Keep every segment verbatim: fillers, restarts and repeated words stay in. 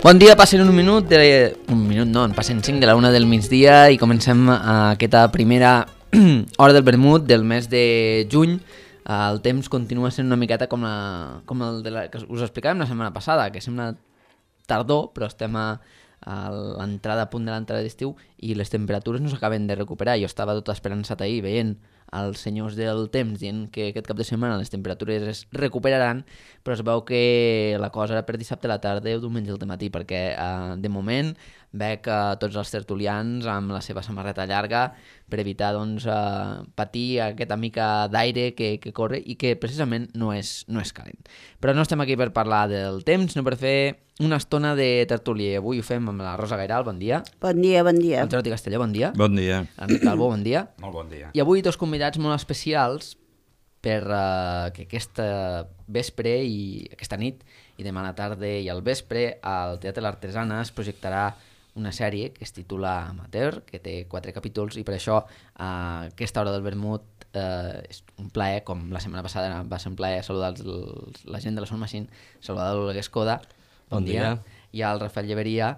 Bon dia, passen un minut, de... un minut no, en passen cinc de la una del migdia i comencem aquesta primera hora del vermut del mes de juny. El temps continua sent una miqueta com, la, com el de la, que us explicàvem la setmana passada, que sembla tardor, però estem a, a l'entrada, a punt de l'entrada d'estiu, i les temperatures no s'acaben de recuperar. Jo estava tot esperançat ahir veient els senyors del temps dient que aquest cap de setmana les temperatures es recuperaran, però es veu que la cosa era per dissabte a la tarda o diumenge al matí, perquè eh, de moment veig eh, tots els tertulians amb la seva samarreta llarga per evitar doncs, eh, patir aquesta mica d'aire que, que corre i que precisament no és, no és calent. Però no estem aquí per parlar del temps, sinó per fer una estona de tertúlia. Avui ho fem amb la Rosa Gairal, bon dia. Bon dia, bon dia. El Jordi Castelló, bon dia. Bon dia. L'Enric Calvo, bon dia. Molt bon dia. I avui dos convidats molt especials per uh, que aquesta vespre i aquesta nit i demà a la tarda i al vespre al Teatre l'Artesana es projectarà una sèrie que es titula Amateur, que té quatre capítols, i per això uh, aquesta hora del vermut uh, és un plaer, com la setmana passada va ser un plaer saludar els, els, la gent de la Sound Machine, saludar l'Olga Escoda, bon, bon dia. dia, i al Rafael Lleveria,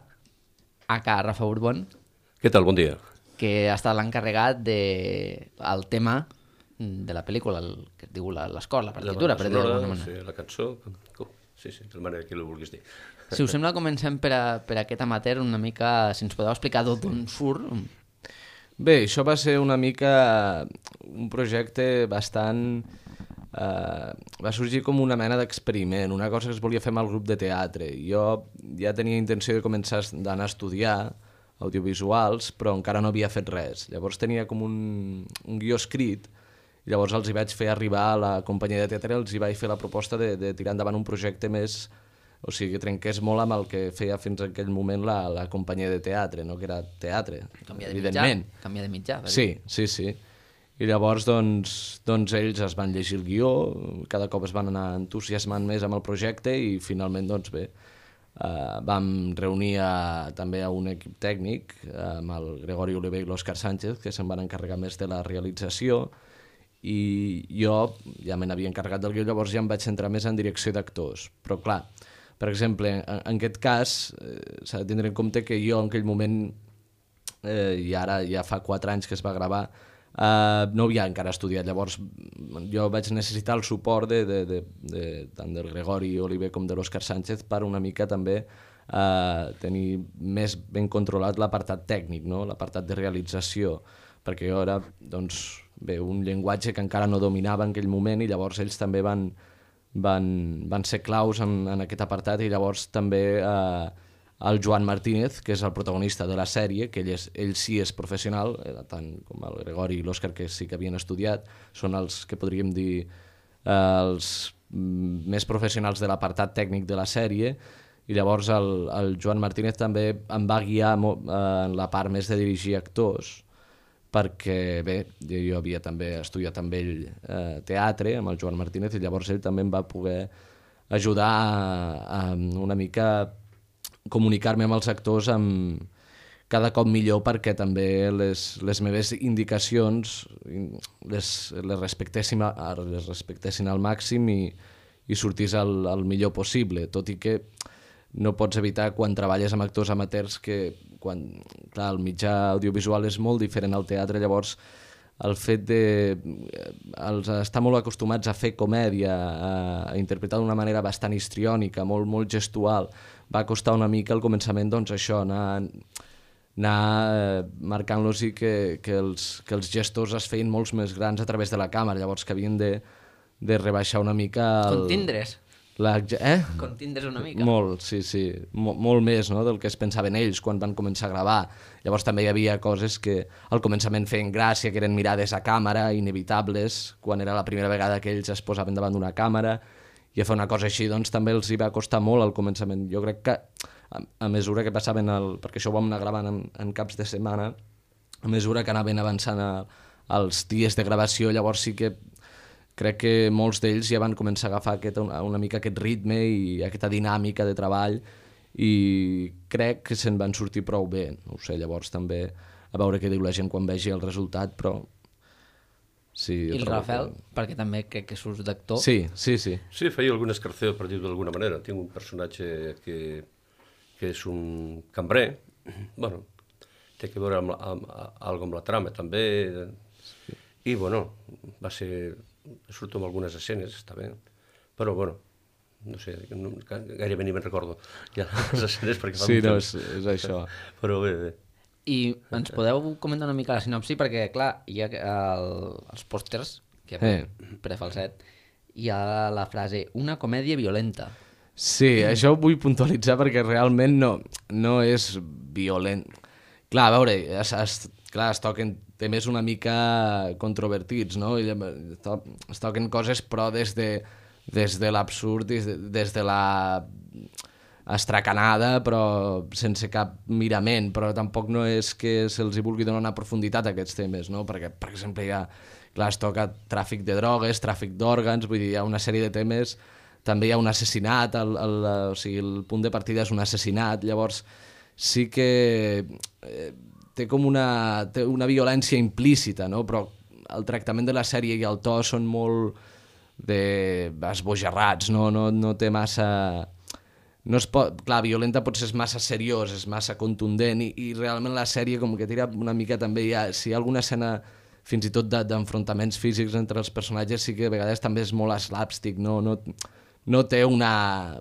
aka Rafa Urbon. Què tal? Bon dia. Que ha estat l'encarregat del tema de la pel·lícula, el, que es diu l'escola, la partitura, la, per dir-ho d'alguna manera. Sí, la cançó, sí, sí, de la manera que ho vulguis dir. Si us sembla, comencem per, a, per aquest amateur una mica, si ens podeu explicar d'on surt. Bé, això va ser una mica un projecte bastant... Uh, va sorgir com una mena d'experiment, una cosa que es volia fer amb el grup de teatre. Jo ja tenia intenció de començar d'anar a estudiar audiovisuals, però encara no havia fet res. Llavors tenia com un, un guió escrit, i llavors els hi vaig fer arribar a la companyia de teatre, els hi vaig fer la proposta de, de tirar endavant un projecte més, o sigui, que trenqués molt amb el que feia fins en aquell moment la, la companyia de teatre, no? Que era teatre, canvia de evidentment. Mitjà, canvia de mitjà. Sí, sí, sí. I llavors doncs, doncs ells es van llegir el guió, cada cop es van anar entusiasmant més amb el projecte i finalment doncs bé, Uh, vam reunir a, també a un equip tècnic uh, amb el Gregori Oliver i l'Òscar Sánchez, que se'n van encarregar més de la realització, i jo ja me n'havia encarregat del guió, llavors ja em vaig centrar més en direcció d'actors. Però clar, per exemple, en, en aquest cas eh, s'ha de tindre en compte que jo en aquell moment, eh, i ara ja fa quatre anys que es va gravar, Uh, no havia encara estudiat, llavors jo vaig necessitar el suport de, de, de, de, tant del Gregori Oliver com de l'Òscar Sánchez per una mica també uh, tenir més ben controlat l'apartat tècnic, no? L'apartat de realització, perquè jo era doncs, bé, un llenguatge que encara no dominava en aquell moment, i llavors ells també van, van, van ser claus en, en aquest apartat, i llavors també uh, el Joan Martínez, que és el protagonista de la sèrie, que ell, és, ell sí és professional, tant com el Gregori i l'Òscar, que sí que havien estudiat, són els que podríem dir eh, els més professionals de l'apartat tècnic de la sèrie, i llavors el, el Joan Martínez també em va guiar molt, eh, en la part més de dirigir actors, perquè bé, jo havia també estudiat amb ell eh, teatre, amb el Joan Martínez, i llavors ell també em va poder ajudar a, a una mica comunicar-me amb els actors amb cada cop millor, perquè també les, les meves indicacions les, les, respectessin, les respectessin al màxim i, i sortís el, el millor possible, tot i que no pots evitar quan treballes amb actors amateurs que quan, clar, el mitjà audiovisual és molt diferent al teatre, llavors el fet de els estar molt acostumats a fer comèdia, a, a interpretar d'una manera bastant histriònica, molt, molt gestual, va costar una mica al començament doncs això, anar, anar marcant-los i que, que, els, que els gestors es feien molts més grans a través de la càmera, llavors que havien de, de rebaixar una mica... El, Contindres. La, eh? Contindres una mica. Molt, sí, sí, Mol, molt més, no?, del que es pensaven ells quan van començar a gravar. Llavors també hi havia coses que al començament feien gràcia, que eren mirades a càmera, inevitables, quan era la primera vegada que ells es posaven davant d'una càmera, i a fer una cosa així doncs també els hi va costar molt al començament. Jo crec que a, a mesura que passaven, el, perquè això ho vam anar gravant en, en caps de setmana, a mesura que anaven avançant a, als dies de gravació, llavors sí que crec que molts d'ells ja van començar a agafar aquest, una, una mica aquest ritme i aquesta dinàmica de treball, i crec que se'n van sortir prou bé. No ho sé, llavors també a veure què diu la gent quan vegi el resultat, però... Sí, I el Rafael, que... perquè també crec que surts d'actor. Sí, sí, sí. Sí, feia algun escarceo, per dir-ho d'alguna manera. Tinc un personatge que, que és un cambrer, bueno, té que veure amb, amb, amb, amb, amb la trama també, i bueno, va ser, surto amb algunes escenes, està bé, però bueno, no sé, no, gairebé ni me'n recordo ja les escenes perquè fa Sí, molt no, temps. és, és això. Però bé, bé. I ens podeu comentar una mica la sinopsi? Perquè, clar, hi ha el, els pòsters, que Eh. prefalset, hi ha la frase, una comèdia violenta. Sí, això ho vull puntualitzar perquè realment no, no és violent. Clar, a veure, es, es, clar, es toquen temes una mica controvertits, no? I es, to, es toquen coses però des de, des de l'absurd, des, de, des de la estracanada, però sense cap mirament, però tampoc no és que se'ls hi vulgui donar una profunditat a aquests temes, no? Perquè, per exemple, hi ha, clar, es toca tràfic de drogues, tràfic d'òrgans, vull dir, hi ha una sèrie de temes, també hi ha un assassinat, el, el, o sigui, el punt de partida és un assassinat, llavors sí que eh, té com una, té una violència implícita, no? Però el tractament de la sèrie i el to són molt de esbojarrats, no, no, no té massa... No es pot, clar, violenta potser és massa seriós, és massa contundent i, i realment la sèrie com que tira una mica també hi ha, si hi ha alguna escena fins i tot d'enfrontaments físics entre els personatges sí que a vegades també és molt slapstick, no, no, no té una...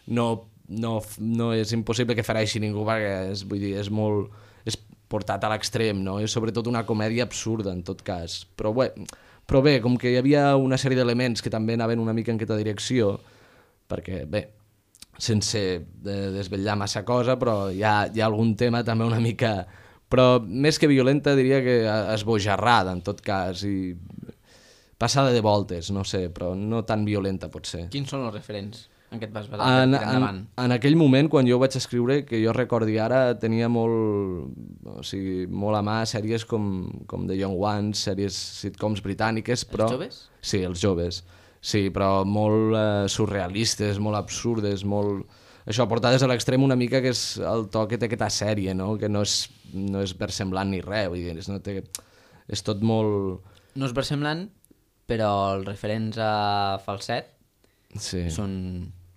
No, no, no és impossible que fereixi ningú perquè és, vull dir, és molt... és portat a l'extrem, no? És sobretot una comèdia absurda en tot cas, però bé, però bé, com que hi havia una sèrie d'elements que també anaven una mica en aquesta direcció, perquè bé, sense desvetllar massa cosa, però hi ha, hi ha algun tema també una mica... Però més que violenta diria que esbojarrada en tot cas i passada de voltes, no sé, però no tan violenta potser. Quins són els referents en què et vas basar En, per tirar endavant? en, en aquell moment, quan jo ho vaig escriure, que jo recordi ara, tenia molt, o sigui, molt a mà sèries com, com The Young Ones, sèries sitcoms britàniques, però... Els joves? Sí, els joves. Sí, però molt eh, surrealistes, molt absurdes, molt... Això, portades a l'extrem una mica, que és el to que té aquesta sèrie, no? Que no és, no és versemblant ni res, vull dir, és, no té, és tot molt... No és versemblant, però els referents a falset Sí. són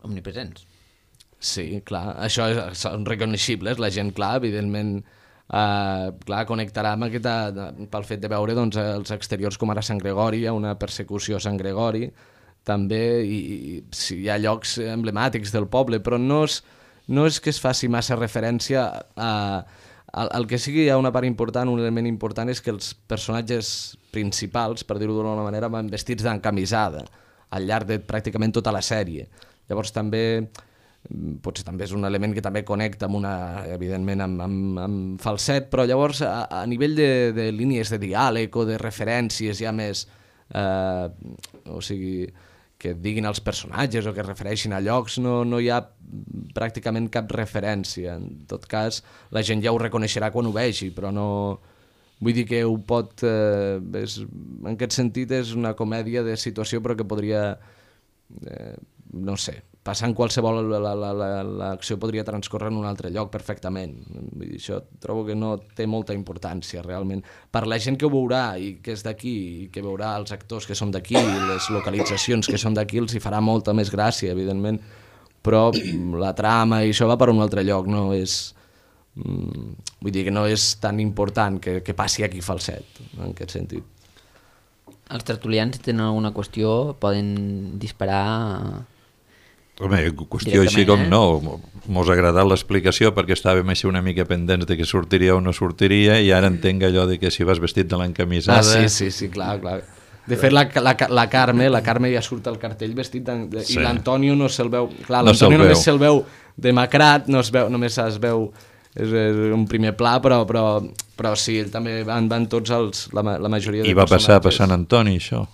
omnipresents. Sí, clar, això és, són reconeixibles, la gent, clar, evidentment, eh, clar, connectarà amb aquesta, pel fet de veure doncs, els exteriors com ara Sant Gregori, hi ha una persecució a Sant Gregori, també i, i sí, hi ha llocs emblemàtics del poble, però no és, no és que es faci massa referència a... El, el que sí que hi ha una part important, un element important, és que els personatges principals, per dir-ho d'una manera, van vestits d'encamisada al llarg de pràcticament tota la sèrie. Llavors també, potser també és un element que també connecta amb una, evidentment amb, amb, amb falset, però llavors a, a nivell de, de línies de diàleg o de referències ja més, eh, o sigui, que diguin els personatges o que es refereixin a llocs, no, no hi ha pràcticament cap referència. En tot cas, la gent ja ho reconeixerà quan ho vegi, però no... Vull dir que ho pot... Eh, és, en aquest sentit és una comèdia de situació però que podria, eh, no sé, passar en qualsevol... L'acció podria transcorrer en un altre lloc perfectament. Vull dir, això trobo que no té molta importància realment. Per la gent que ho veurà i que és d'aquí i que veurà els actors que són d'aquí i les localitzacions que són d'aquí els hi farà molta més gràcia, evidentment. Però la trama i això va per un altre lloc, no és... Mm, vull dir que no és tan important que, que passi aquí falset, en aquest sentit. Els tertulians, si tenen alguna qüestió, poden disparar... Home, qüestió així com eh? no, mos ha agradat l'explicació perquè estàvem així una mica pendents de que sortiria o no sortiria i ara entenc allò de que si vas vestit de l'encamisada... Ah, sí, sí, sí, clar, clar. De fet, la, la, la Carme, la Carme ja surt al cartell vestit de, de, Sí. i l'Antonio no se'l veu... Clar, No l'Antonio se'l només veu. se'l veu demacrat, no es veu, només es veu... És, és un primer pla, però, però, però sí, ell també van, van tots els, la, la majoria de I va passar per personatges. Sant Antoni, això?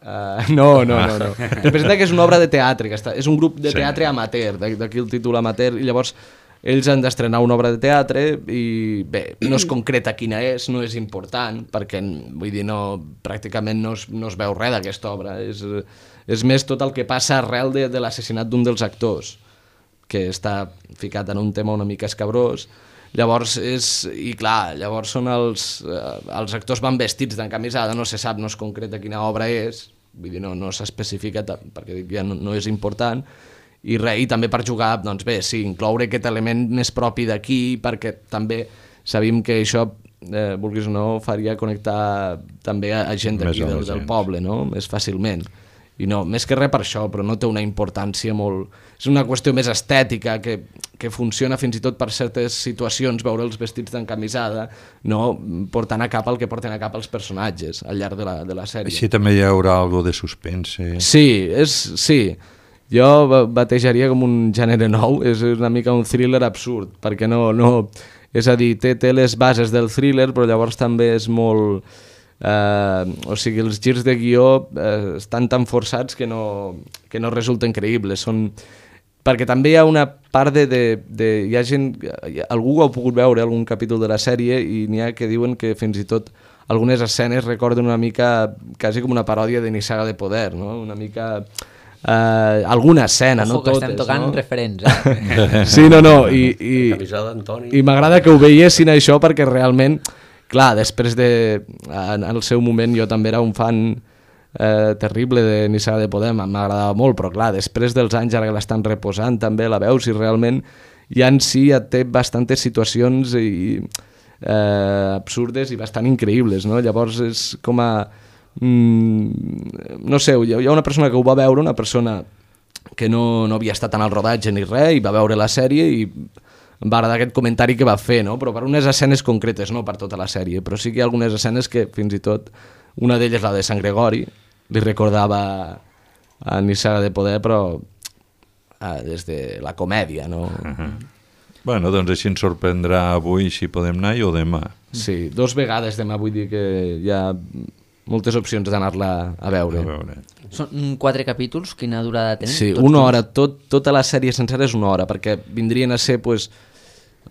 Uh, no, no, no, no. Representa que és una obra de teatre, que està, és un grup de Sí. teatre amateur, d'aquí el títol amateur, i llavors ells han d'estrenar una obra de teatre i bé, no es concreta quina és, no és important, perquè vull dir, no, pràcticament no es, no es veu res d'aquesta obra, és, és més tot el que passa arrel de, de l'assassinat d'un dels actors, que està ficat en un tema una mica escabrós. Llavors és, i clar, llavors són els, eh, els actors van vestits d'encamisada, no se sap, no es concreta quina obra és, vull dir, no, no s'especifica perquè ja no, no és important, i, re, i també per jugar, doncs bé, sí, incloure aquest element més propi d'aquí, perquè també sabíem que això, eh, vulguis o no, faria connectar també a, a gent d'aquí, del, del poble, no? Més fàcilment. I no, més que res per això, però no té una importància molt... És una qüestió més estètica, que, que funciona fins i tot per certes situacions, veure els vestits d'encamisada, no portant a cap el que porten a cap els personatges al llarg de la, de la sèrie. Així també hi haurà algo de suspense. Sí, és, sí. Jo batejaria com un gènere nou, és una mica un thriller absurd, perquè no... no és a dir, té, té les bases del thriller, però llavors també és molt... Uh, o sigui, els girs de guió uh, estan tan forçats que no, que no resulten creïbles. Són... Perquè també hi ha una part de... de, de hi ha gent... Algú ho ha pogut veure, algun capítol de la sèrie, i n'hi ha que diuen que fins i tot algunes escenes recorden una mica, quasi com una paròdia de Nissaga de Poder, no? Una mica... Uh, alguna escena, Ojo, no totes. Ojo, que estem tocant no? referents, eh? Sí, no, no, i, i, i m'agrada que ho veiessin això, perquè realment, clar, després de... En el seu moment jo també era un fan eh, terrible de Nissaga de Poder, m'agradava molt, però clar, després dels anys, ara que l'estan reposant, també la veus, i realment ja en si ja té bastantes situacions i, eh, absurdes i bastant increïbles, no? Llavors és com a... Mm, no sé, hi ha una persona que ho va veure, una persona que no, no havia estat en el rodatge ni res, i va veure la sèrie i em va agradar aquest comentari que va fer, no? Però per unes escenes concretes, no per tota la sèrie, però sí que hi ha algunes escenes que fins i tot, una d'elles, la de Sant Gregori, li recordava a Nissaga de Poder, però eh, des de la comèdia, no? Uh-huh. Bueno, doncs així ens sorprendrà avui si podem anar o demà. Sí, dos vegades demà, vull dir que hi ha moltes opcions d'anar-la a veure. A veure. Són quatre capítols, quina durada tenen? Sí, Tots una junts? hora, tot, tota la sèrie sencera és una hora, perquè vindrien a ser, pues,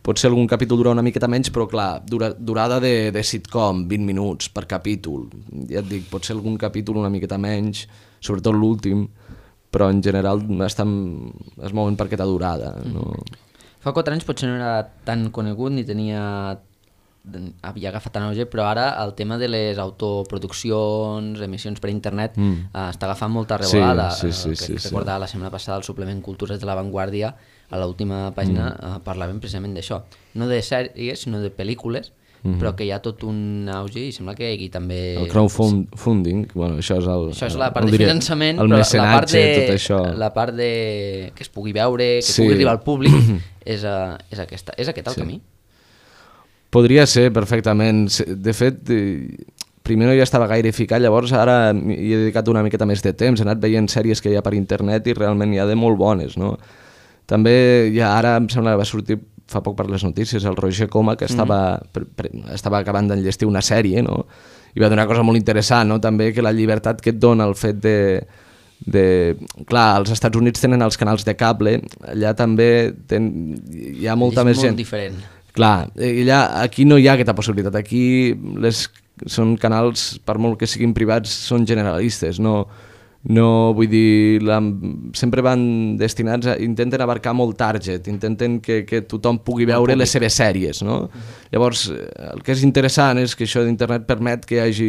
potser algun capítol dura una miqueta menys, però clar, dura, durada de, de sitcom, vint minuts per capítol. Ja et dic, potser algun capítol una miqueta menys, sobretot l'últim, però en general estan, es mouen per aquesta durada. No? Fa quatre anys potser no era tan conegut ni tenia... havia agafat tan auge, però ara el tema de les autoproduccions, emissions per internet, mm. eh, està agafant molta revolada. Sí, sí, sí, eh, sí, que sí. recordava la setmana passada el suplement Cultures de la Vanguardia, a l'última pàgina mm. eh, parlaven precisament d'això, no de sèries sinó de pel·lícules, mm. però que hi ha tot un auge i sembla que hi hagi també... El crowdfunding, bueno, això és el... Això és la part el, de finançament, el però la part de, tot això. La part de que es pugui veure, que sí. pugui arribar al públic, és, uh, és, aquesta, és aquest el sí. camí. Podria ser, perfectament. De fet, primer no hi estava gaire ficat, llavors ara hi he dedicat una miqueta més de temps, he anat veient sèries que hi ha per internet i realment hi ha de molt bones, no? També ja ara em sembla que va sortir fa poc per les notícies el Roger Coma, que estava, mm. pre, pre, estava acabant d'enllestir una sèrie, no? I va dir una cosa molt interessant, no? També que la llibertat que et dona el fet de... de... Clar, als Estats Units tenen els canals de cable, allà també ten... hi ha molta és més molt gent... diferent. Clar, allà, aquí no hi ha aquesta possibilitat, aquí les, són canals, per molt que siguin privats, són generalistes, no, no vull dir, la, sempre van destinats a, intenten abarcar molt target, intenten que, que tothom pugui veure les seves sèries, no? Uh-huh. Llavors, el que és interessant és que això d'internet permet que hi hagi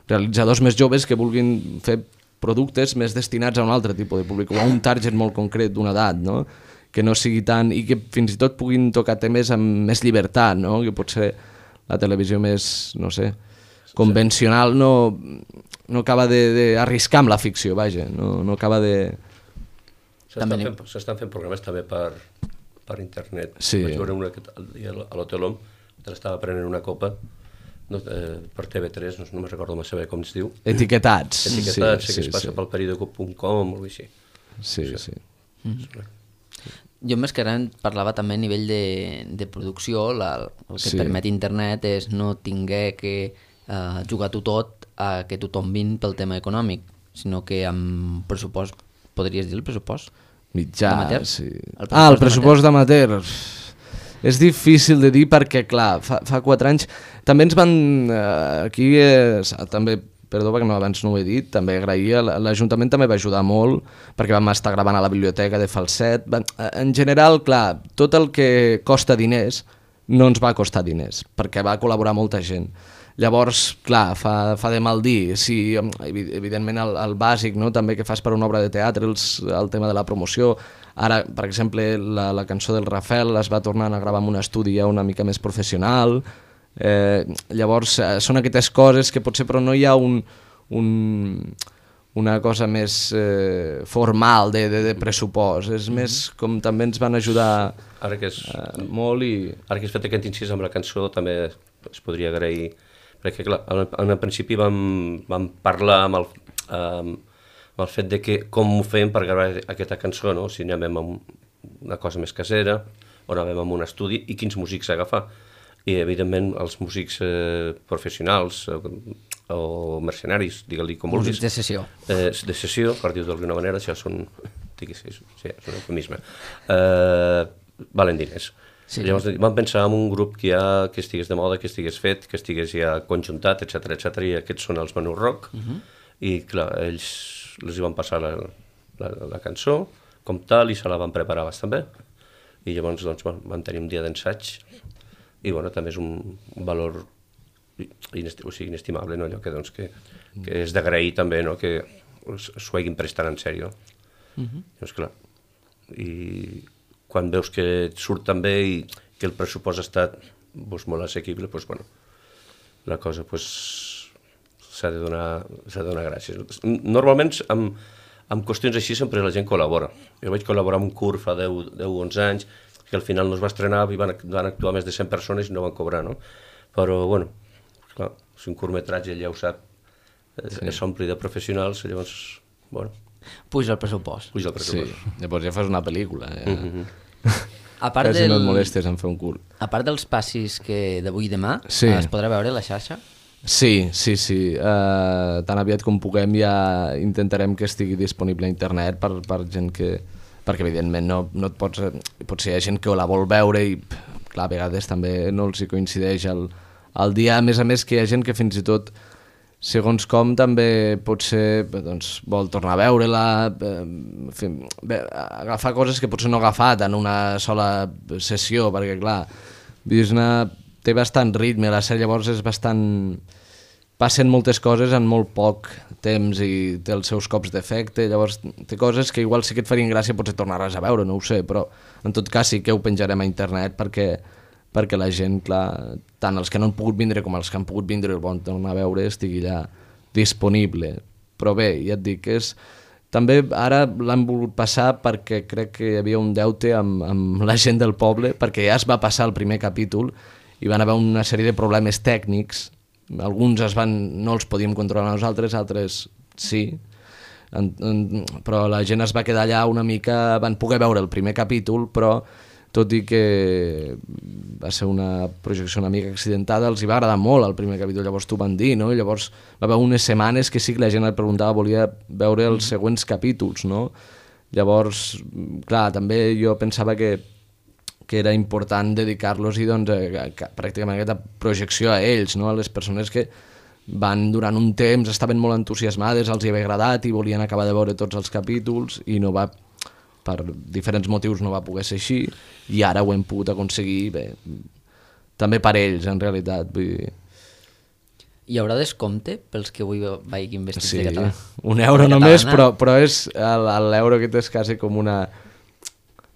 realitzadors més joves que vulguin fer productes més destinats a un altre tipus de públic, o a un target molt concret d'una edat, no? Que no sigui tant, i que fins i tot puguin tocar temes amb més llibertat, no? Que potser la televisió més, no sé, convencional no, no acaba d'arriscar amb la ficció, vaja, no, no acaba de... S'estan fent, s'estan fent programes també per, per internet. Sí. Vaig veure una a l'Hotel Hom, que l'estava prenent una copa, no, eh, per T V tres, no, no me'n recordo massa bé com es diu. Etiquetats. Etiquetats, sí, que sí, es passa sí. pel periódico punt com o així. Sí, sí. Mm-hmm. Jo més que res parlava també a nivell de, de producció, la, el que Sí. permet internet és no tinguer que uh, jugar-ho tot a que tothom vin pel tema econòmic, sinó que amb pressupost, podries dir el pressupost? Mitjà, D'amateur? sí. El pressupost Ah, el pressupost d'amateur. És difícil de dir perquè, clar, fa, fa quatre anys... També ens van... Eh, aquí eh, també... Perdó, perquè no, abans no ho he dit, també agraïa, l'Ajuntament també va ajudar molt, perquè vam estar gravant a la biblioteca de Falset. En general, clar, tot el que costa diners no ens va costar diners, perquè va col·laborar molta gent. Llavors, clar, fa, fa de mal dir, sí, evidentment el, el bàsic, no? També que fas per una obra de teatre, els, el tema de la promoció, Ara, per exemple, la, la cançó del Rafael es va tornant a gravar en un estudi ja una mica més professional. Eh, llavors, eh, són aquestes coses que potser però no hi ha un, un, una cosa més eh, formal de, de, de pressupost. És més com també ens van ajudar Ara que és, eh, molt i... ara que has fet aquest incís amb la cançó també es podria agrair, perquè clar, en, en el principi vam, vam parlar amb el, um, amb el fet de que com ho fem per gravar aquesta cançó, no? Si anàvem amb una cosa més casera o anàvem amb un estudi i quins músics agafar. I evidentment els músics eh, professionals eh, o mercenaris, digue-li com vulguis. Músics de sessió. Eh, de sessió, per dir-ho d'alguna manera, això són, digues, sí, és un eufemisme. Eh, valen diners. Sí. Llavors vam pensar en un grup que, ja, que estigués de moda, que estigués fet, que estigués ja conjuntat, etcètera, etcètera, i aquests són els Menú Rock. Uh -huh. I clar, ells els hi van passar la, la, la cançó com tal i se la van preparar bastant bé. I llavors doncs, bueno, van tenir un dia d'ensaig i bueno, també és un valor inesti o sigui, inestimable, no? Allò que, doncs, que, que és d'agrair també, no? Que s'ho hagin prestat en sèrio. Uh -huh. Llavors, clar, i quan veus que et surt tan bé i que el pressupost ha estat doncs, molt assequible, doncs, bueno, la cosa pues, s'ha de, donar, de donar gràcies. Normalment amb, amb qüestions així sempre la gent col·labora. Jo vaig col·laborar amb un curt fa deu o onze anys que al final no es va estrenar i van, van actuar més de cent persones i no van cobrar, no? Però, bueno, clar, és un curtmetratge, ja ho sap, sí. S'ompli de professionals, llavors, bueno... Puja el pressupost. Puja el pressupost. Sí, llavors ja fas una pel·lícula. Ja. Mm-hmm. A part Quasi del... no et molestes en fer un curt. A part dels passis que d'avui i demà, sí. Es podrà veure a la xarxa? Sí, sí, sí. Uh, tan aviat com puguem ja intentarem que estigui disponible a internet per, per gent que... Perquè, evidentment, no, no et pots... Potser hi ha gent que la vol veure i, clar, a vegades també no els hi coincideix el, el dia. A més a més, que hi ha gent que fins i tot, segons com, també potser doncs, vol tornar a veure-la, eh, agafar coses que potser no ha agafat en una sola sessió, perquè, clar, Disney té bastant ritme, la sèrie llavors és bastant... Passen moltes coses en molt poc temps i té els seus cops d'efecte, llavors té coses que igual sí que et farien gràcia potser tornar-les a veure, no ho sé, però en tot cas sí que ho penjarem a internet perquè, perquè la gent, clar, tant els que no han pogut vindre com els que han pogut vindre i el volen tornar a veure estigui allà disponible. Però bé, ja et dic, és... També ara l'han volgut passar perquè crec que hi havia un deute amb, amb la gent del poble, perquè ja es va passar el primer capítol i van haver una sèrie de problemes tècnics. Alguns es van, no els podíem controlar nosaltres, altres sí, en, en, però la gent es va quedar allà una mica, van poder veure el primer capítol, però tot i que va ser una projecció una mica accidentada, els hi va agradar molt el primer capítol, llavors t'ho van dir, no? I llavors va haver unes setmanes que sí que la gent et preguntava, volia veure els següents capítols, no? Llavors, clar, també jo pensava que que era important dedicar-los i doncs, a, a, pràcticament a aquesta projecció a ells, no? A les persones que van durant un temps, estaven molt entusiasmades, els hi havia agradat i volien acabar de veure tots els capítols i no va, per diferents motius no va poder ser així i ara ho hem pogut aconseguir bé, també per ells en realitat, vull dir... Hi haurà descompte pels que avui vagin vestits sí, de català? Un euro de només, catalana. però, però és l'euro que és quasi com una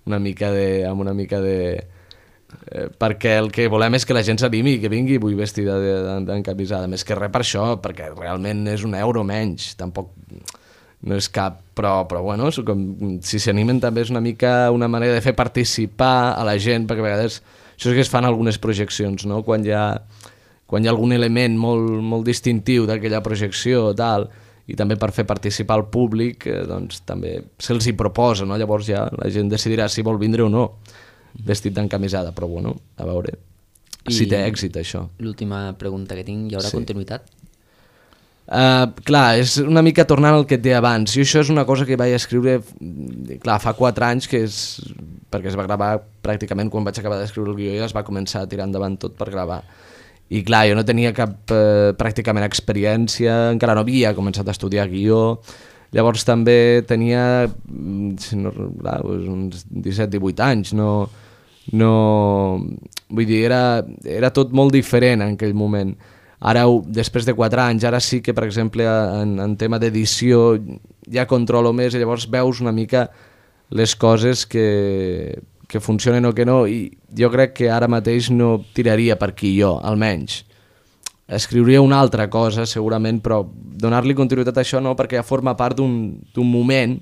una mica de... amb una mica de eh, perquè el que volem és que la gent s'animi, que vingui vull vestida d'encamisada, més que res per això, perquè realment és un euro menys, tampoc no és cap, però, però bueno, com, si s'animen també és una mica una manera de fer participar a la gent, perquè a vegades això és que es fan algunes projeccions, no? Quan hi ha, quan hi ha algun element molt, molt distintiu d'aquella projecció, tal, i també per fer participar el públic, eh, doncs també se'ls hi proposa, no? Llavors ja la gent decidirà si vol vindre o no, vestit d'encamisada, però bueno, a veure I si té èxit això. L'última pregunta que tinc, hi haurà sí. continuïtat? Uh, clar, és una mica tornant al que et deia abans, i això és una cosa que vaig escriure clar, fa quatre anys, que és perquè es va gravar pràcticament quan vaig acabar d'escriure el guió i es va començar a tirar endavant tot per gravar. I clar, jo no tenia cap eh, pràcticament experiència, encara no havia començat a estudiar guió, llavors també tenia si no, clar, uns disset divuit anys, no, no, vull dir, era, era tot molt diferent en aquell moment. Ara, després de quatre anys, ara sí que, per exemple, en, en tema d'edició ja controlo més i llavors veus una mica les coses que, que funcionen o que no, i jo crec que ara mateix no tiraria per aquí jo, almenys. Escriuria una altra cosa, segurament, però donar-li continuïtat a això no, perquè ja forma part d'un moment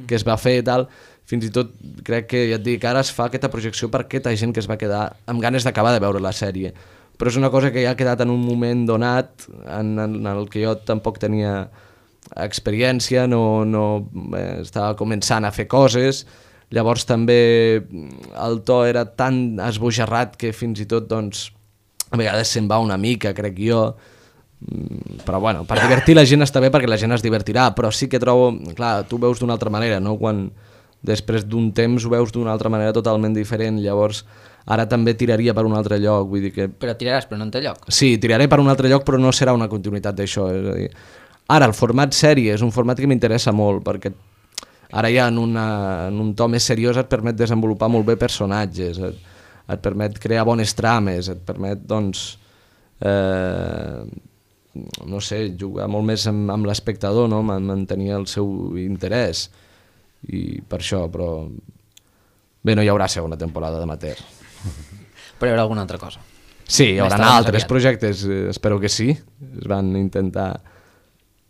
que es va fer i tal. Fins i tot crec que, ja et dic, ara es fa aquesta projecció per aquesta gent que es va quedar amb ganes d'acabar de veure la sèrie. Però és una cosa que ja ha quedat en un moment donat en, en el que jo tampoc tenia experiència, no, no eh, estava començant a fer coses. Llavors també el to era tan esbojarrat que fins i tot doncs, a vegades se'n va una mica, crec jo. Però bueno, per divertir la gent està bé perquè la gent es divertirà, però sí que trobo, clar, tu veus d'una altra manera, no? Quan després d'un temps ho veus d'una altra manera totalment diferent, llavors ara també tiraria per un altre lloc, vull dir que... Però tiraràs per un altre lloc? Sí, tiraré per un altre lloc, però no serà una continuïtat d'això, és a dir... Ara, el format sèrie és un format que m'interessa molt, perquè ara ja en, una, en un to més seriós et permet desenvolupar molt bé personatges, et, et permet crear bones trames, et permet, doncs, eh, no sé, jugar molt més amb, amb l'espectador, no? Mantenir el seu interès, i per això, però... Bé, no hi haurà segona temporada d'Amateur. Però hi haurà alguna altra cosa? Sí, hi haurà altres projectes, espero que sí, es van intentar...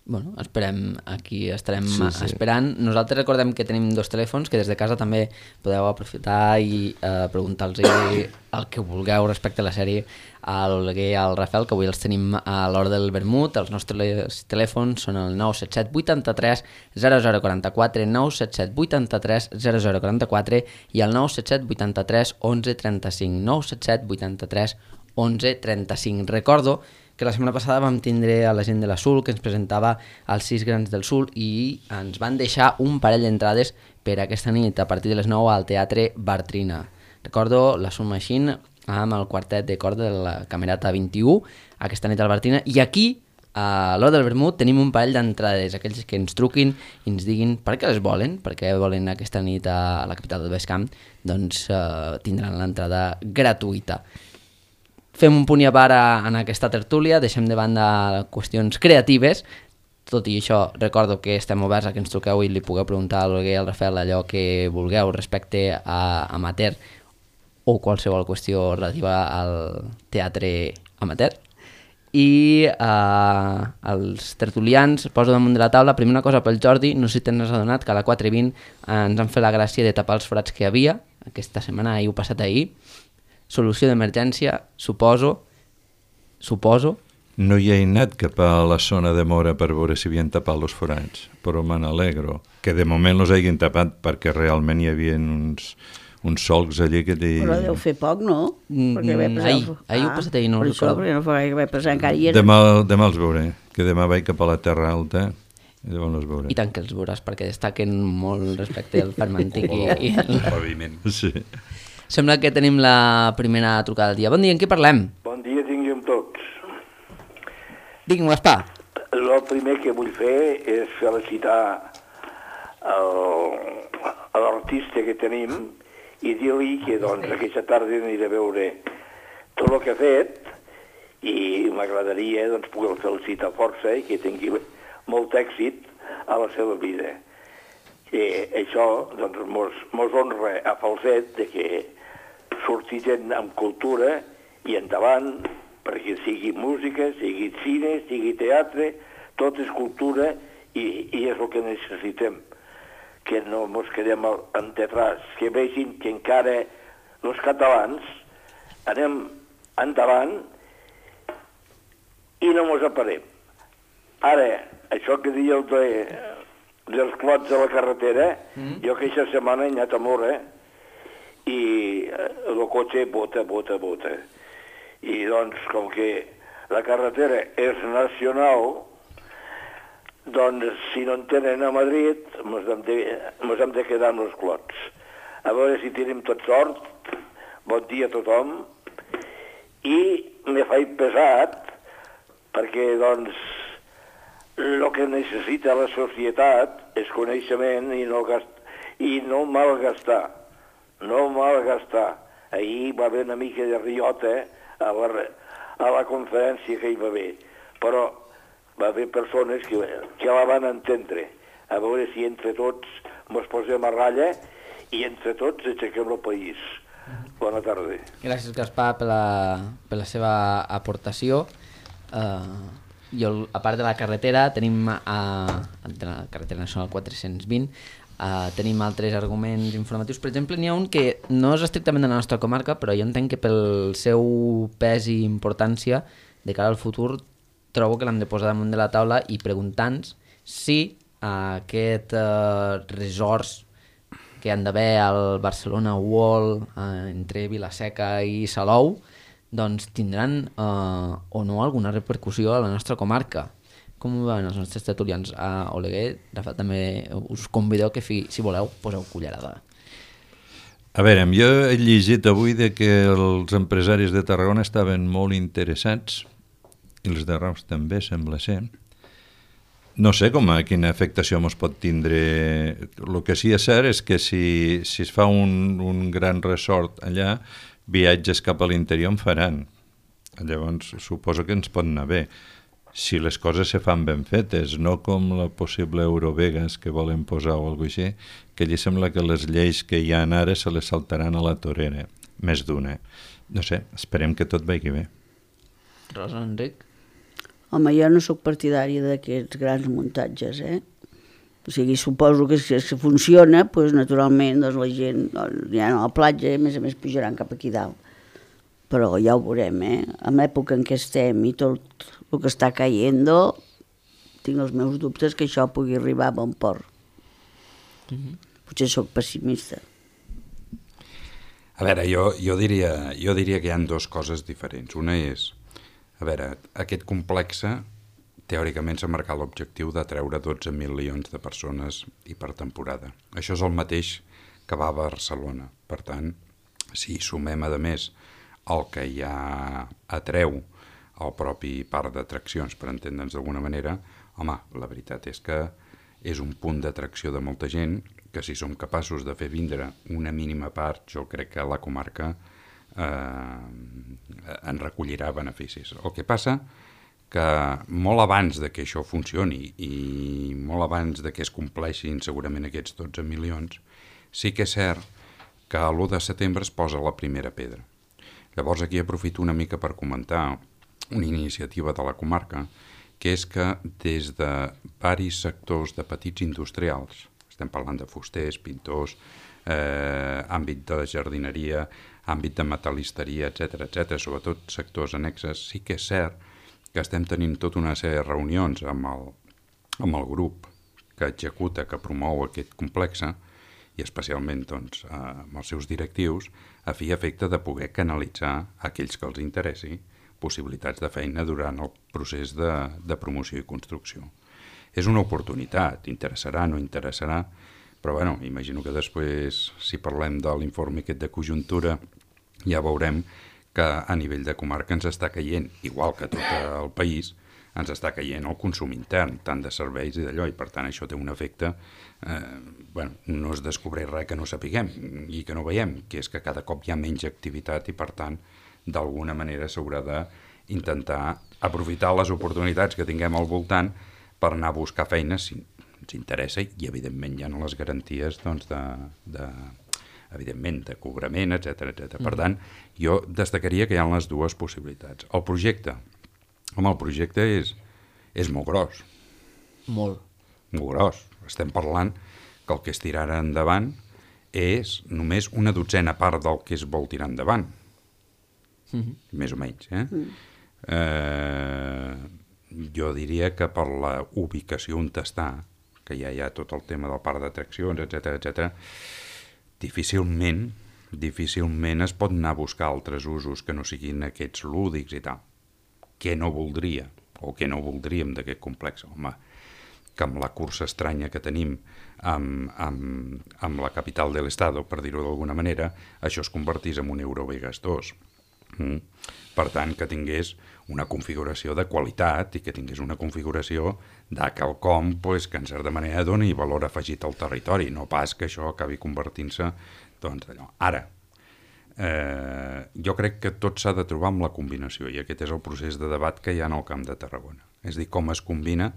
Bueno, esperem, aquí estarem sí, sí. esperant. Nosaltres recordem que tenim dos telèfons, que des de casa també podeu aprofitar i eh, preguntar-los el que vulgueu respecte a la sèrie a l'Oleguer i al Rafael, que avui els tenim a l'hora del vermut. Els nostres telèfons són el nou set set vuitanta-tres zero zero quaranta-quatre, nou set set vuitanta-tres zero zero quaranta-quatre i el nou set set vuitanta-tres onze trenta-cinc, nou set set vuitanta-tres onze trenta-cinc. Recordo que la setmana passada vam tindre a la gent de la Sul que ens presentava els sis grans del Sul i ens van deixar un parell d'entrades per aquesta nit a partir de les nou al Teatre Bartrina. Recordo la Sul Machine amb el quartet de corda de la Camerata vint-i-u aquesta nit al Bartrina, i aquí a l'hora del vermut tenim un parell d'entrades, aquells que ens truquin i ens diguin per què les volen, per què volen aquesta nit a la capital del Baix Camp, doncs eh, tindran l'entrada gratuïta. Fem un punt i a part en aquesta tertúlia, deixem de banda qüestions creatives. Tot i això, recordo que estem oberts a que ens truqueu i li pugueu preguntar a l'Olguer i al Rafael allò que vulgueu respecte a Amateur o qualsevol qüestió relativa al teatre amateur. I eh, els tertulians poso damunt de la taula, primer una cosa pel Jordi, no sé si t'has adonat que a la quatre vint ens han fet la gràcia de tapar els forats que hi havia, aquesta setmana, ahir ho passat ahir. Solució d'emergència, suposo, suposo. No hi he anat cap a la zona de Mora per veure si havien tapat els forats, però me n'alegro. Que de moment els hagin tapat perquè realment hi havia uns, uns solcs allí que... Te... Però deu fer poc, no? Mm, ahir, ahir ho passat ahir, no ho recordo. Per això, perquè no fa gaire que vaig passar encara. Era... Demà, demà els veuré, que demà vaig cap a la Terra Alta i llavors els veuré. I tant que els veuràs, perquè destaquen molt respecte al ferm antic i, i el paviment. Sí. Sembla que tenim la primera trucada del dia. Bon dia, en què parlem? Bon dia, tinguem tots. Digui'm, Gaspar. El primer que vull fer és felicitar l'artista que tenim i dir-li que doncs, aquesta tarda aniré a veure tot el que ha fet i m'agradaria doncs, poder felicitar força i que tingui molt èxit a la seva vida. Que això doncs, mos, mos honra a falset de que surti gent amb cultura i endavant, perquè sigui música, sigui cine, sigui teatre, tot és cultura i, i és el que necessitem, que no ens quedem enterrats, que vegin que encara els catalans anem endavant i no ens aparem. Ara, això que diu el de, dels clots de la carretera, mm. jo aquesta setmana he anat a Mora i el cotxe bota, bota, bota. I doncs, com que la carretera és nacional, doncs, si no en tenen a Madrid, ens hem de, ens hem de quedar amb els clots. A veure si tenim tot sort, bon dia a tothom, i me faig pesat, perquè, doncs, el que necessita la societat és coneixement i no, gast... i no malgastar. No malgastar. Ahir va haver una mica de riota a la, a la conferència que hi va haver, però va haver persones que, que la van entendre. A veure si entre tots ens posem a ratlla i entre tots aixequem el país. Bona tarda. Gràcies, Gaspar, per la, per la seva aportació. Uh, i el, a part de la carretera, tenim a, de la carretera nacional quatre-cents vint, uh, tenim altres arguments informatius. Per exemple, n'hi ha un que no és estrictament de la nostra comarca, però jo entenc que pel seu pes i importància de cara al futur trobo que l'hem de posar damunt de la taula i preguntar-nos si uh, aquest uh, resorts que han d'haver al Barcelona World uh, entre Vila-seca i Salou doncs tindran uh, o no alguna repercussió a la nostra comarca. Com ho veuen els nostres tertulians? A Oleguer, Rafa, també us convideu que fi, si voleu poseu cullerada. A veure, jo he llegit avui de que els empresaris de Tarragona estaven molt interessats, i els de Reus també, sembla ser. No sé com a quina afectació ens pot tindre. El que sí és cert és que si, si es fa un, un gran resort allà, viatges cap a l'interior en faran. Llavors suposo que ens pot anar bé. Si les coses se fan ben fetes, no com la possible Eurovegas que volen posar o alguna cosa així, que allí sembla que les lleis que hi ha ara se les saltaran a la torera, més d'una. No sé, esperem que tot vagi bé. Rosa, Enric? Home, jo no sóc partidària d'aquests grans muntatges, eh? O sigui, suposo que si si funciona, doncs, naturalment, doncs, la gent doncs, ja no a la platja, a més a més pujaran cap aquí dalt. Però ja ho veurem, eh? En l'època en què estem i tot el que està caient, tinc els meus dubtes que això pugui arribar a bon port. Mm-hmm. Potser sóc pessimista. A veure, jo, jo, diria, jo diria que hi ha dues coses diferents. Una és, a veure, aquest complex teòricament s'ha marcat l'objectiu de treure dotze milions de persones i per temporada. Això és el mateix que va a Barcelona. Per tant, si sumem a més el que ja atreu el propi parc d'atraccions, per entendre'ns d'alguna manera, home, la veritat és que és un punt d'atracció de molta gent que si som capaços de fer vindre una mínima part, jo crec que la comarca eh, en recollirà beneficis. El que passa que molt abans de que això funcioni i molt abans de que es compleixin segurament aquests dotze milions, sí que és cert que a l'u de setembre es posa la primera pedra. Llavors aquí aprofito una mica per comentar una iniciativa de la comarca, que és que des de varis sectors de petits industrials, estem parlant de fusters, pintors, eh, àmbit de jardineria, àmbit de metal·listeria, etcètera, etcètera, sobretot sectors annexes, sí que és cert que estem tenint tota una sèrie de reunions amb el, amb el grup que executa, que promou aquest complex, i especialment doncs, amb els seus directius, a fi i efecte de poder canalitzar a aquells que els interessi possibilitats de feina durant el procés de, de promoció i construcció. És una oportunitat, interessarà, no interessarà, però bueno, imagino que després, si parlem de l'informe aquest de conjuntura, ja veurem que a nivell de comarca ens està caient, igual que tot el país, ens està caient el consum intern, tant de serveis i d'allò, i per tant això té un efecte, eh, bueno, no es descobreix res que no sapiguem i que no veiem, que és que cada cop hi ha menys activitat i per tant, d'alguna manera s'haurà d'intentar aprofitar les oportunitats que tinguem al voltant per anar a buscar feina si ens interessa i evidentment hi ha les garanties doncs, de, de, evidentment, de cobrament, etcètera, etcètera. Mm. Per tant, jo destacaria que hi ha les dues possibilitats. El projecte, home, el projecte és, és molt gros. Molt. Molt gros. Estem parlant que el que es tirarà endavant és només una dotzena part del que es vol tirar endavant. Mm-hmm. Més o menys, eh? Mm. eh? Jo diria que per la ubicació on està, que ja hi ha tot el tema del parc d'atraccions, etcètera, etcètera, difícilment, difícilment es pot anar a buscar altres usos que no siguin aquests lúdics i tal. Què no voldria, o què no voldríem d'aquest complex? Home, que amb la cursa estranya que tenim amb, amb, amb la capital de l'Estado, per dir-ho d'alguna manera, això es convertís en un Eurovegas dos. Mm. Per tant, que tingués una configuració de qualitat i que tingués una configuració de quelcom pues, que en certa manera doni valor afegit al territori, no pas que això acabi convertint-se doncs, allò. Ara, eh, jo crec que tot s'ha de trobar amb la combinació i aquest és el procés de debat que hi ha en el Camp de Tarragona. És a dir, com es combina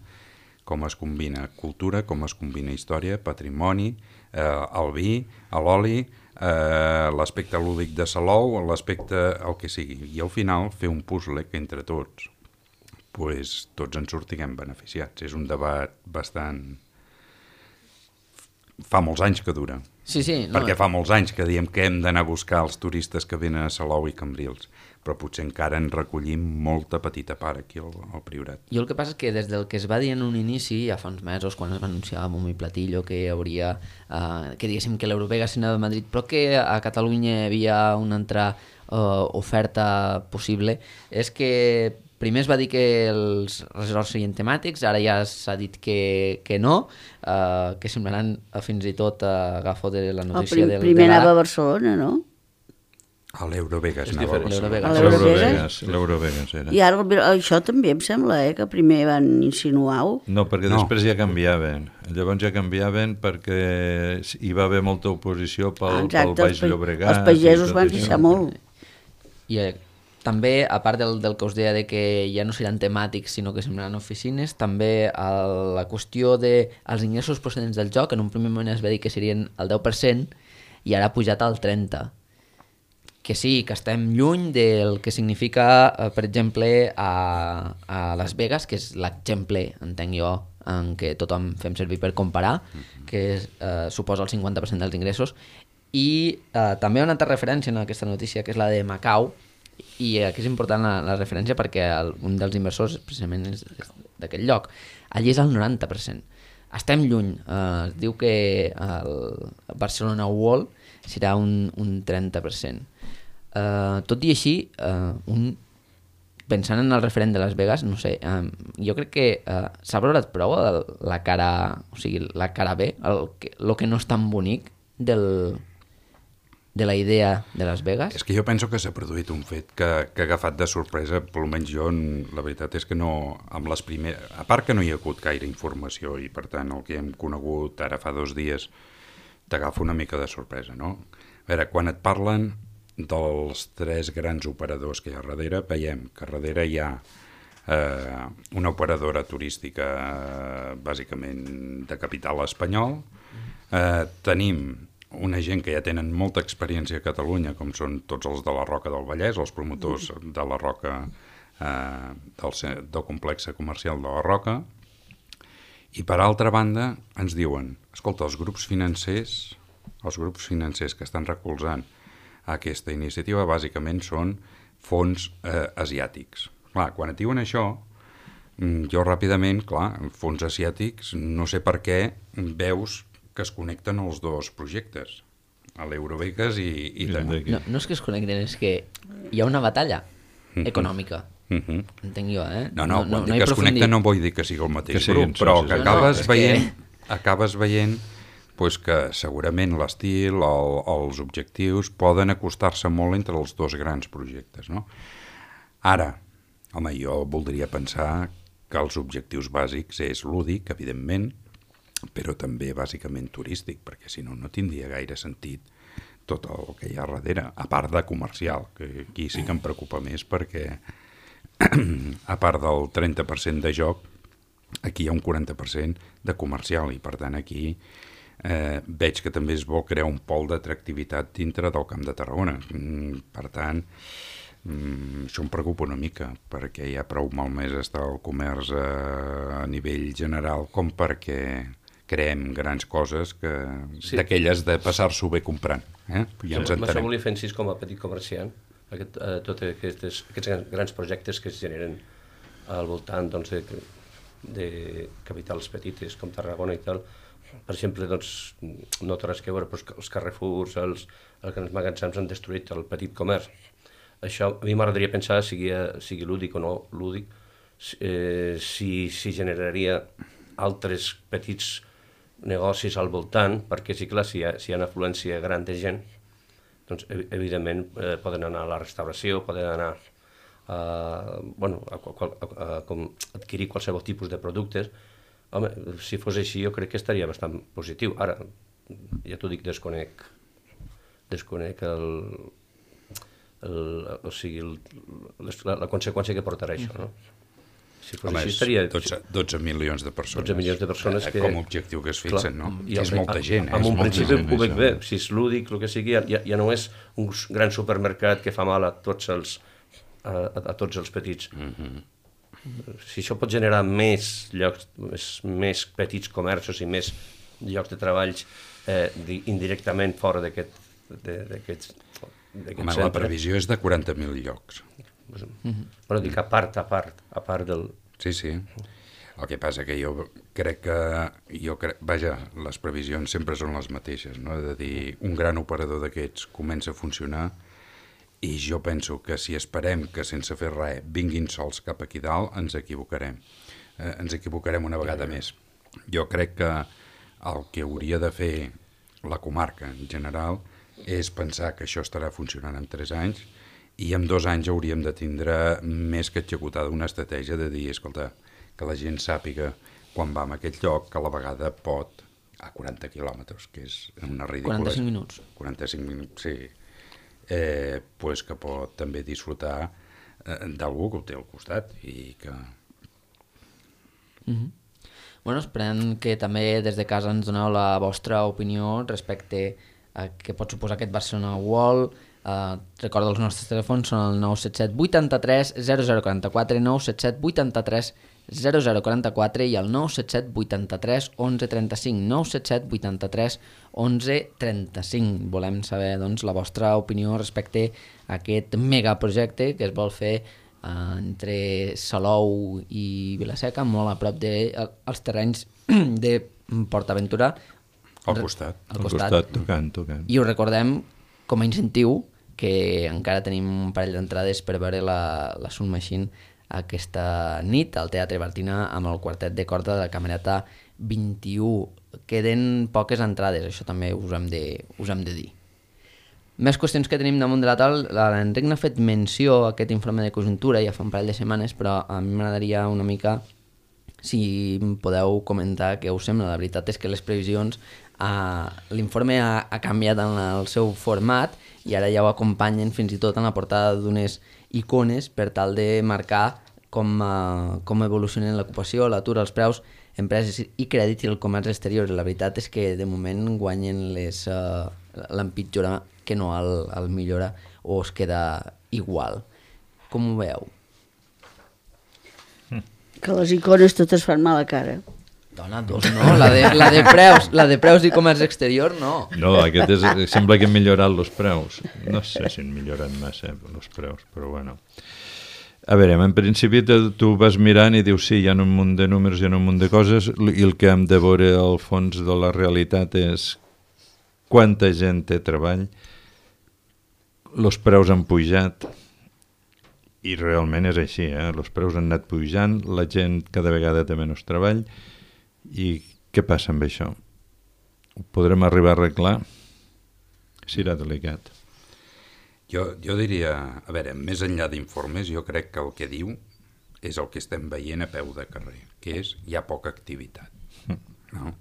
com es combina cultura, com es combina història, patrimoni, eh, el vi, l'oli, eh, l'aspecte lúdic de Salou, l'aspecte el que sigui. I al final fer un puzzle que entre tots pues, tots en sortiguem beneficiats. És un debat bastant... Fa molts anys que dura. Sí, sí. No, perquè fa molts anys que diem que hem d'anar a buscar els turistes que venen a Salou i Cambrils, però potser encara en recollim molta petita part aquí al, al Priorat. Jo el que passa és que des del que es va dir en un inici, ja fa uns mesos, quan es va anunciar a bombo i platillo que hi hauria, eh, que diguéssim que l'Eurovega s'anava a Madrid, però que a Catalunya hi havia una altra eh, oferta possible, és que primer es va dir que els resorts serien temàtics, ara ja s'ha dit que, que no, eh, que semblaran eh, fins i tot eh, agafo de la notícia prim, del... primer de anava a Barcelona, no? A l'Eurovegas És anava a diferent. Barcelona. A l'Eurovegas? L'Eurovegas, l'Eurovegas era. I ara el- això també em sembla, eh, que primer van insinuar-ho. No, perquè No. després ja canviaven. Llavors ja canviaven perquè hi va haver molta oposició pel, pel Exacte, Baix els, pa- Llobregat. els pagesos i tot van això. queixar molt. I eh, també, a part del, del que us deia de que ja no seran temàtics sinó que semblaran oficines, també el, la qüestió dels ingressos procedents del joc, en un primer moment es va dir que serien el deu per cent i ara ha pujat al trenta per cent. Que sí, que estem lluny del que significa, eh, per exemple, a, a Las Vegas, que és l'exemple, entenc jo, en què tothom fem servir per comparar, que és, eh, suposa el cinquanta per cent dels ingressos, i eh, també una altra referència en aquesta notícia, que és la de Macau, i aquí és important la, la referència perquè el, un dels inversors precisament és, és d'aquest lloc. Allí és el noranta per cent. Estem lluny. Eh, es diu que el Barcelona World serà un, un trenta per cent. Uh, tot i així, uh, un, pensant en el referent de Las Vegas, no sé, um, jo crec que uh, s'ha valorat prou el, la cara, o sigui, la cara B, el que, lo que no és tan bonic del, de la idea de Las Vegas. És que jo penso que s'ha produït un fet que, que ha agafat de sorpresa, per almenys jo, la veritat és que no, amb les primeres... A part que no hi ha hagut gaire informació i, per tant, el que hem conegut ara fa dos dies t'agafa una mica de sorpresa, no? A veure, quan et parlen dels tres grans operadors que hi ha darrere, veiem que darrere hi ha eh, una operadora turística eh, bàsicament de capital espanyol, eh, tenim una gent que ja tenen molta experiència a Catalunya, com són tots els de la Roca del Vallès, els promotors de la Roca, eh, del, del complex comercial de la Roca, i per altra banda ens diuen, escolta, els grups financers, els grups financers que estan recolzant aquesta iniciativa bàsicament són fons eh, asiàtics. Clar, quan et diuen això, jo ràpidament, clar, fons asiàtics, no sé per què veus que es connecten els dos projectes, a l'Eurovegas i, i també. No, no és que es connecten, és que hi ha una batalla econòmica. Uh-huh. Entenc jo, eh? No, no, quan no, no dic hi que es connecten aprofundim. no vull dir que sigui el mateix Que siguin grup, però socis. que No, no, acabes és que- veient, acabes veient pues que segurament l'estil, el, els objectius poden acostar-se molt entre els dos grans projectes, no? Ara, home, jo voldria pensar que els objectius bàsics és lúdic, evidentment, però també bàsicament turístic, perquè si no, no tindria gaire sentit tot el que hi ha darrere, a part de comercial, que aquí sí que em preocupa més perquè a part del trenta per cent de joc, aquí hi ha un quaranta per cent de comercial i per tant aquí eh, veig que també es vol crear un pol d'atractivitat dintre del Camp de Tarragona. Mm, per tant, mm, això em preocupa una mica perquè ja prou malmès està el comerç a, a nivell general com perquè creem grans coses que Sí. d'aquelles de passar-s'ho bé comprant. Eh? Ja ens Amb això entenem. volia fer incís com a petit comerciant, aquest, eh, tots aquests, aquests grans projectes que es generen al voltant doncs, de, de capitals petites com Tarragona i tal. Per exemple, doncs, no té res que veure, però els Carrefours, els, els grans magatzems han destruït el petit comerç. Això a mi m'agradaria pensar, sigui, sigui lúdic o no lúdic, eh, si, si generaria altres petits negocis al voltant, perquè sí, clar, si hi ha, si hi ha una afluència gran de gent, doncs evidentment eh, poden anar a la restauració, poden anar a, bueno, a, a, a, a com adquirir qualsevol tipus de productes. Home, si fos així jo crec que estaria bastant positiu. Ara, ja t'ho dic, desconec, desconec el, el, o sigui, el, la, la conseqüència que portarà això, no? Si fos Home, així és estaria... dotze, dotze milions de persones. dotze milions de persones eh, que... Com a objectiu que es fixen, Clar, no? i És al- molta gent, eh? En És un molta principi gent, ho veig això. bé, si és lúdic, el que sigui, ja, ja no és un gran supermercat que fa mal a tots els, a, a, a tots els petits. Mhm. Si això pot generar més llocs, més, més petits comerços i més llocs de treballs eh, di- indirectament fora d'aquest de- d'aquest d'aquest Home, la centre. previsió és de quaranta mil llocs. Però dic a part, a part, a part del... Sí, sí. El que passa que jo crec que... Jo crec, vaja, les previsions sempre són les mateixes, no? De dir, un gran operador d'aquests comença a funcionar i jo penso que si esperem que sense fer res vinguin sols cap aquí dalt, ens equivocarem. Eh, ens equivocarem una vegada més. Jo crec que el que hauria de fer la comarca en general és pensar que això estarà funcionant en tres anys i en dos anys hauríem de tindre més que executada una estratègia de dir, escolta, que la gent sàpiga quan va a aquest lloc que a la vegada pot a quaranta quilòmetres, que és una ridícula... quaranta-cinc minuts. quaranta-cinc minuts, sí. Eh, pues que pot també disfrutar eh, d'algú que ho té al costat i que... Mm -hmm. Bueno, esperem que també des de casa ens doneu la vostra opinió respecte a què pot suposar aquest Barcelona World. Uh, recordo els nostres telèfons són el nou set set vuitanta-tres zero zero quaranta-quatre, nou set set vuitanta-tres zero zero quaranta-quatre i el nou set set vuitanta-tres onze trenta-cinc, nou set set vuitanta-tres onze trenta-cinc. Volem saber doncs, la vostra opinió respecte a aquest megaprojecte que es vol fer uh, entre Salou i Vilaseca, molt a prop dels de, terrenys de PortAventura. Al costat. Al Al costat. costat, tocant, tocant. I us recordem, com a incentiu, que encara tenim un parell d'entrades per veure la, la Sun Machine aquesta nit al Teatre Bartina amb el quartet de corda de la Camerata vint-i-u. Queden poques entrades, això també us hem de, us hem de dir. Més qüestions que tenim damunt de la taula. L'Enric n'ha fet menció a aquest informe de conjuntura ja fa un parell de setmanes, però a mi m'agradaria una mica si podeu comentar què us sembla. La veritat és que les previsions, eh, l'informe ha, ha canviat en el seu format i ara ja ho acompanyen fins i tot en la portada d'unes icones per tal de marcar com, uh, com evolucionen l'ocupació, l'atur, els preus, empreses i crèdit i el comerç exterior. La veritat és que de moment guanyen les uh, l'empitjora que no el, el millora o es queda igual. Com ho veieu? Que les icones totes fan mala cara. Dona, dos no, la de, la de preus, la de preus i comerç exterior no. No, aquest és, sembla que han millorat els preus. No sé si han millorat massa els preus, però bueno. A veure, en principi tu vas mirant i dius sí, hi ha un munt de números, hi ha un munt de coses i el que hem de veure al fons de la realitat és quanta gent té treball, els preus han pujat i realment és així, eh? Els preus han anat pujant, la gent cada vegada té menys treball. I què passa amb això? Ho podrem arribar a arreglar? Serà delicat. Jo, jo diria, a veure, més enllà d'informes, jo crec que el que diu és el que estem veient a peu de carrer, que és hi ha poca activitat. No?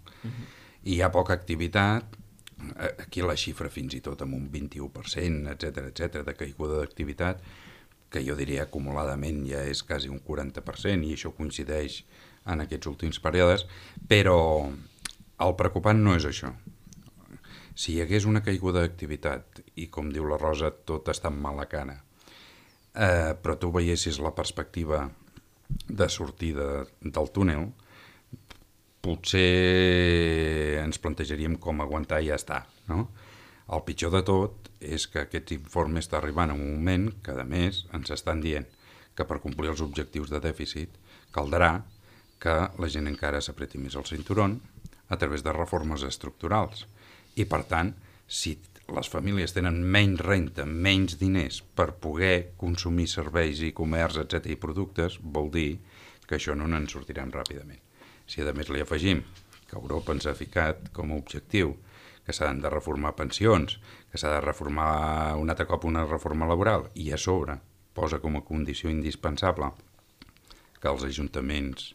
I hi ha poca activitat, aquí la xifra fins i tot amb un vint-i-u per cent, etcètera, etcètera, de caiguda d'activitat, que jo diria acumuladament ja és quasi un quaranta per cent, i això coincideix en aquests últims períodes, però el preocupant no és això. Si hi hagués una caiguda d'activitat i, com diu la Rosa, tot està en mala cara, eh, però tu veiessis la perspectiva de sortida del túnel, potser ens plantejaríem com aguantar i ja està, no? El pitjor de tot és que aquest informe està arribant en un moment que, a més, ens estan dient que per complir els objectius de dèficit caldrà que la gent encara s'apreti més el cinturón a través de reformes estructurals. I, per tant, si les famílies tenen menys renta, menys diners per poder consumir serveis i comerç, etcètera i productes, vol dir que això no ens sortirem ràpidament. Si, a més, li afegim que Europa ens ha ficat com a objectiu que s'han de reformar pensions, que s'ha de reformar un altre cop una reforma laboral, i a sobre posa com a condició indispensable que els ajuntaments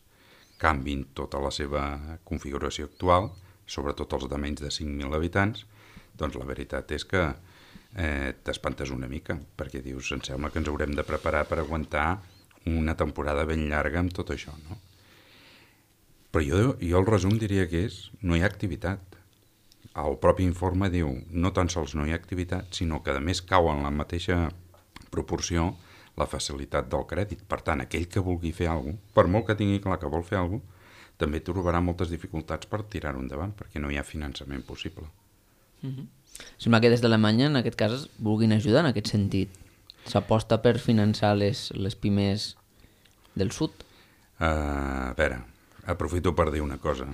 canvin tota la seva configuració actual, sobretot els de menys de cinc mil habitants, doncs la veritat és que eh, t'espantes una mica, perquè dius, em sembla que ens haurem de preparar per aguantar una temporada ben llarga amb tot això, no? Però jo, jo el resum diria que és no hi ha activitat. El propi informe diu no tan sols no hi ha activitat, sinó que a més cau en la mateixa proporció la facilitat del crèdit. Per tant, aquell que vulgui fer alguna cosa, per molt que tingui clar que vol fer alguna cosa, també trobarà moltes dificultats per tirar-ho endavant, perquè no hi ha finançament possible. Mm-hmm. Sembla que des d'Alemanya, en aquest cas, vulguin ajudar en aquest sentit. S'aposta per finançar les, les pimes del sud? Uh, a veure, aprofito per dir una cosa.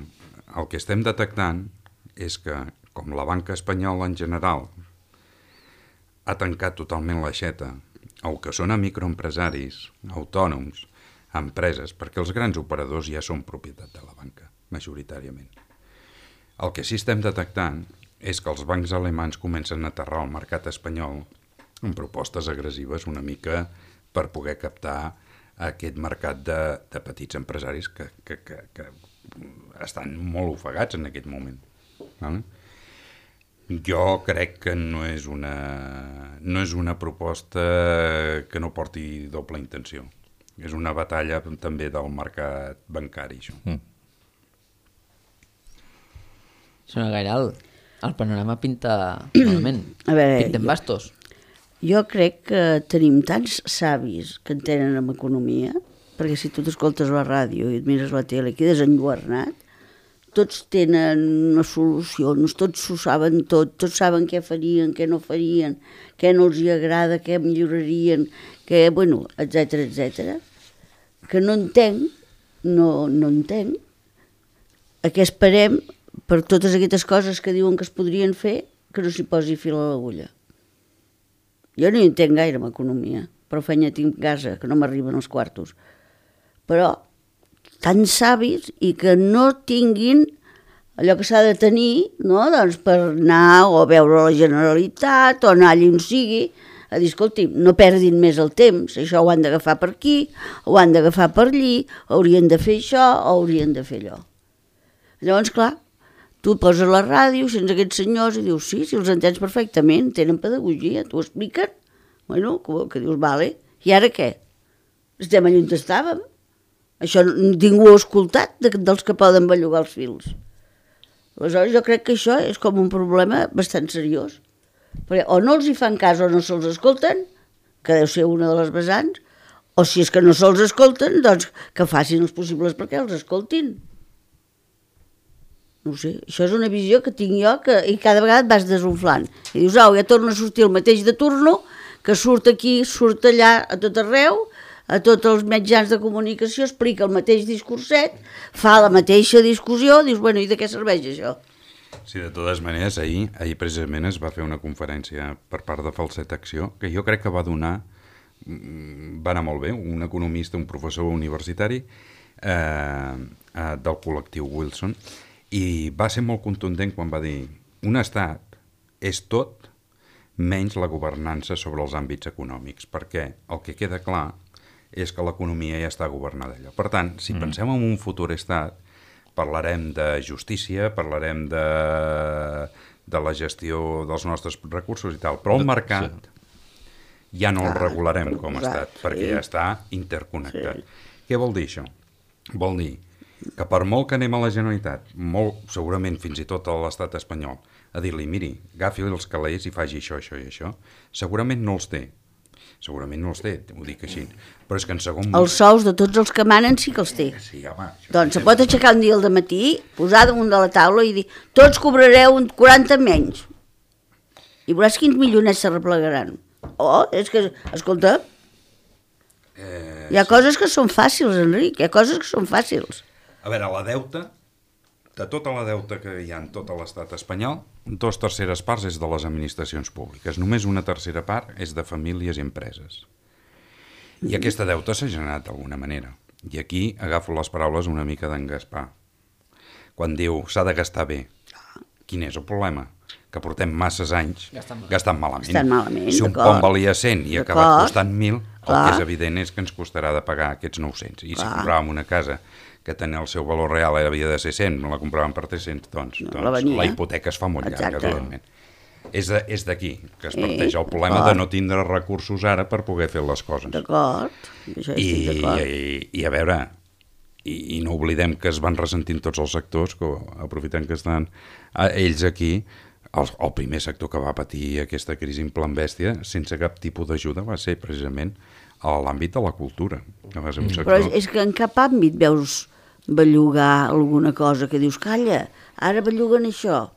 El que estem detectant és que, com la banca espanyola en general ha tancat totalment l'aixeta al que són a microempresaris, autònoms, empreses, perquè els grans operadors ja són propietat de la banca, majoritàriament. El que sí estem detectant és que els bancs alemans comencen a aterrar al mercat espanyol amb propostes agressives una mica per poder captar aquest mercat de, de petits empresaris que, que, que, que estan molt ofegats en aquest moment. Vale? Jo crec que no és una, no és una proposta que no porti doble intenció. És una batalla també del mercat bancari, això. Mm. Sona gaire alt. El panorama pinta malament. A veure, Pintem bastos. Jo crec que tenim tants savis que entenen en economia, perquè si tu t'escoltes la ràdio i et mires la tele i quedes enlluernat, tots tenen unes solucions, tots ho saben tot, tots saben què farien, què no farien, què no els hi agrada, què millorarien, què, bueno, etcètera, etcètera, que no entenc, no, no entenc, a què esperem per totes aquestes coses que diuen que es podrien fer, que no s'hi posi fil a l'agulla. Jo no hi entenc gaire en economia, però feina tinc a casa, que no m'arriben els quartos. Però tan savis i que no tinguin allò que s'ha de tenir, no? Doncs per anar o a veure la Generalitat o anar allà on sigui, a dir, escolti, no perdin més el temps, això ho han d'agafar per aquí, ho han d'agafar per allí, haurien de fer això o haurien de fer allò. Llavors, clar, tu poses la ràdio, sents aquests senyors i dius, sí, si els entens perfectament, tenen pedagogia, t'ho expliquen, bueno, que, que dius, vale, i ara què? Estem allà on estàvem. Això ningú ho ha escoltat de, dels que poden bellugar els fils. Aleshores jo crec que això és com un problema bastant seriós. Perquè o no els hi fan cas o no se'ls escolten, que deu ser una de les vessants, o si és que no se'ls escolten, doncs que facin els possibles perquè els escoltin. No ho sé, això és una visió que tinc jo que, i cada vegada et vas desunflant. I dius, au, ja torna a sortir el mateix de turno, que surt aquí, surt allà, a tot arreu, a tots els mitjans de comunicació, explica el mateix discurset, fa la mateixa discussió, dius, bueno, i de què serveix això? Sí, de totes maneres, ahir, ahir precisament es va fer una conferència per part de Falset Acció, que jo crec que va donar, va anar molt bé, un economista, un professor universitari eh, eh, del col·lectiu Wilson, i va ser molt contundent quan va dir un estat és tot menys la governança sobre els àmbits econòmics, perquè el que queda clar és que l'economia ja està governada allò. Per tant, si mm. pensem en un futur estat, parlarem de justícia, parlarem de, de la gestió dels nostres recursos i tal, però el mercat sí. ja no el regularem com a estat, perquè ja està interconnectat. Sí. Què vol dir això? Vol dir que per molt que anem a la Generalitat, molt, segurament fins i tot a l'estat espanyol, a dir-li, miri, agafi els calés i faci això, això i això, segurament no els té. Segurament no els té, ho dic així. Però és que en segon... Els sous de tots els que manen sí que els té. Sí, home, doncs se pot aixecar un dia al dematí, posar damunt de la taula i dir tots cobrareu un quaranta menys. I veuràs quins milionets s'arreplegaran. Oh, és que, escolta, eh, hi ha sí. coses que són fàcils, Enric, hi ha coses que són fàcils. A veure, la deuta, de tota la deuta que hi ha en tot l'estat espanyol, dos terceres parts és de les administracions públiques. Només una tercera part és de famílies i empreses. I aquesta deuta s'ha generat d'alguna manera. I aquí agafo les paraules una mica d'en Gaspar. Quan diu s'ha de gastar bé. Quin és el problema? Que portem masses anys gastant, gastant malament. Gastant malament, si un pont valia cent i ha acabat costant mil, el que és evident és que ens costarà de pagar aquests nou-cents. I si compràvem una casa que tenia el seu valor real havia de ser cent, la compràvem per tres-cents, doncs, no, doncs la, la hipoteca es fa molt llarga, evidentment. és de- és d'aquí que es parteix el problema de no tindre recursos ara per poder fer les coses. D'acord, això I, estic d'acord. i, i a veure, i, i no oblidem que es van ressentint tots els sectors, que aprofitant que estan eh, ells aquí, el, el primer sector que va patir aquesta crisi en plan bèstia, sense cap tipus d'ajuda, va ser precisament a l'àmbit de la cultura. Que va ser un sector... Però és, és que en cap àmbit veus bellugar alguna cosa que dius, calla, ara belluguen això.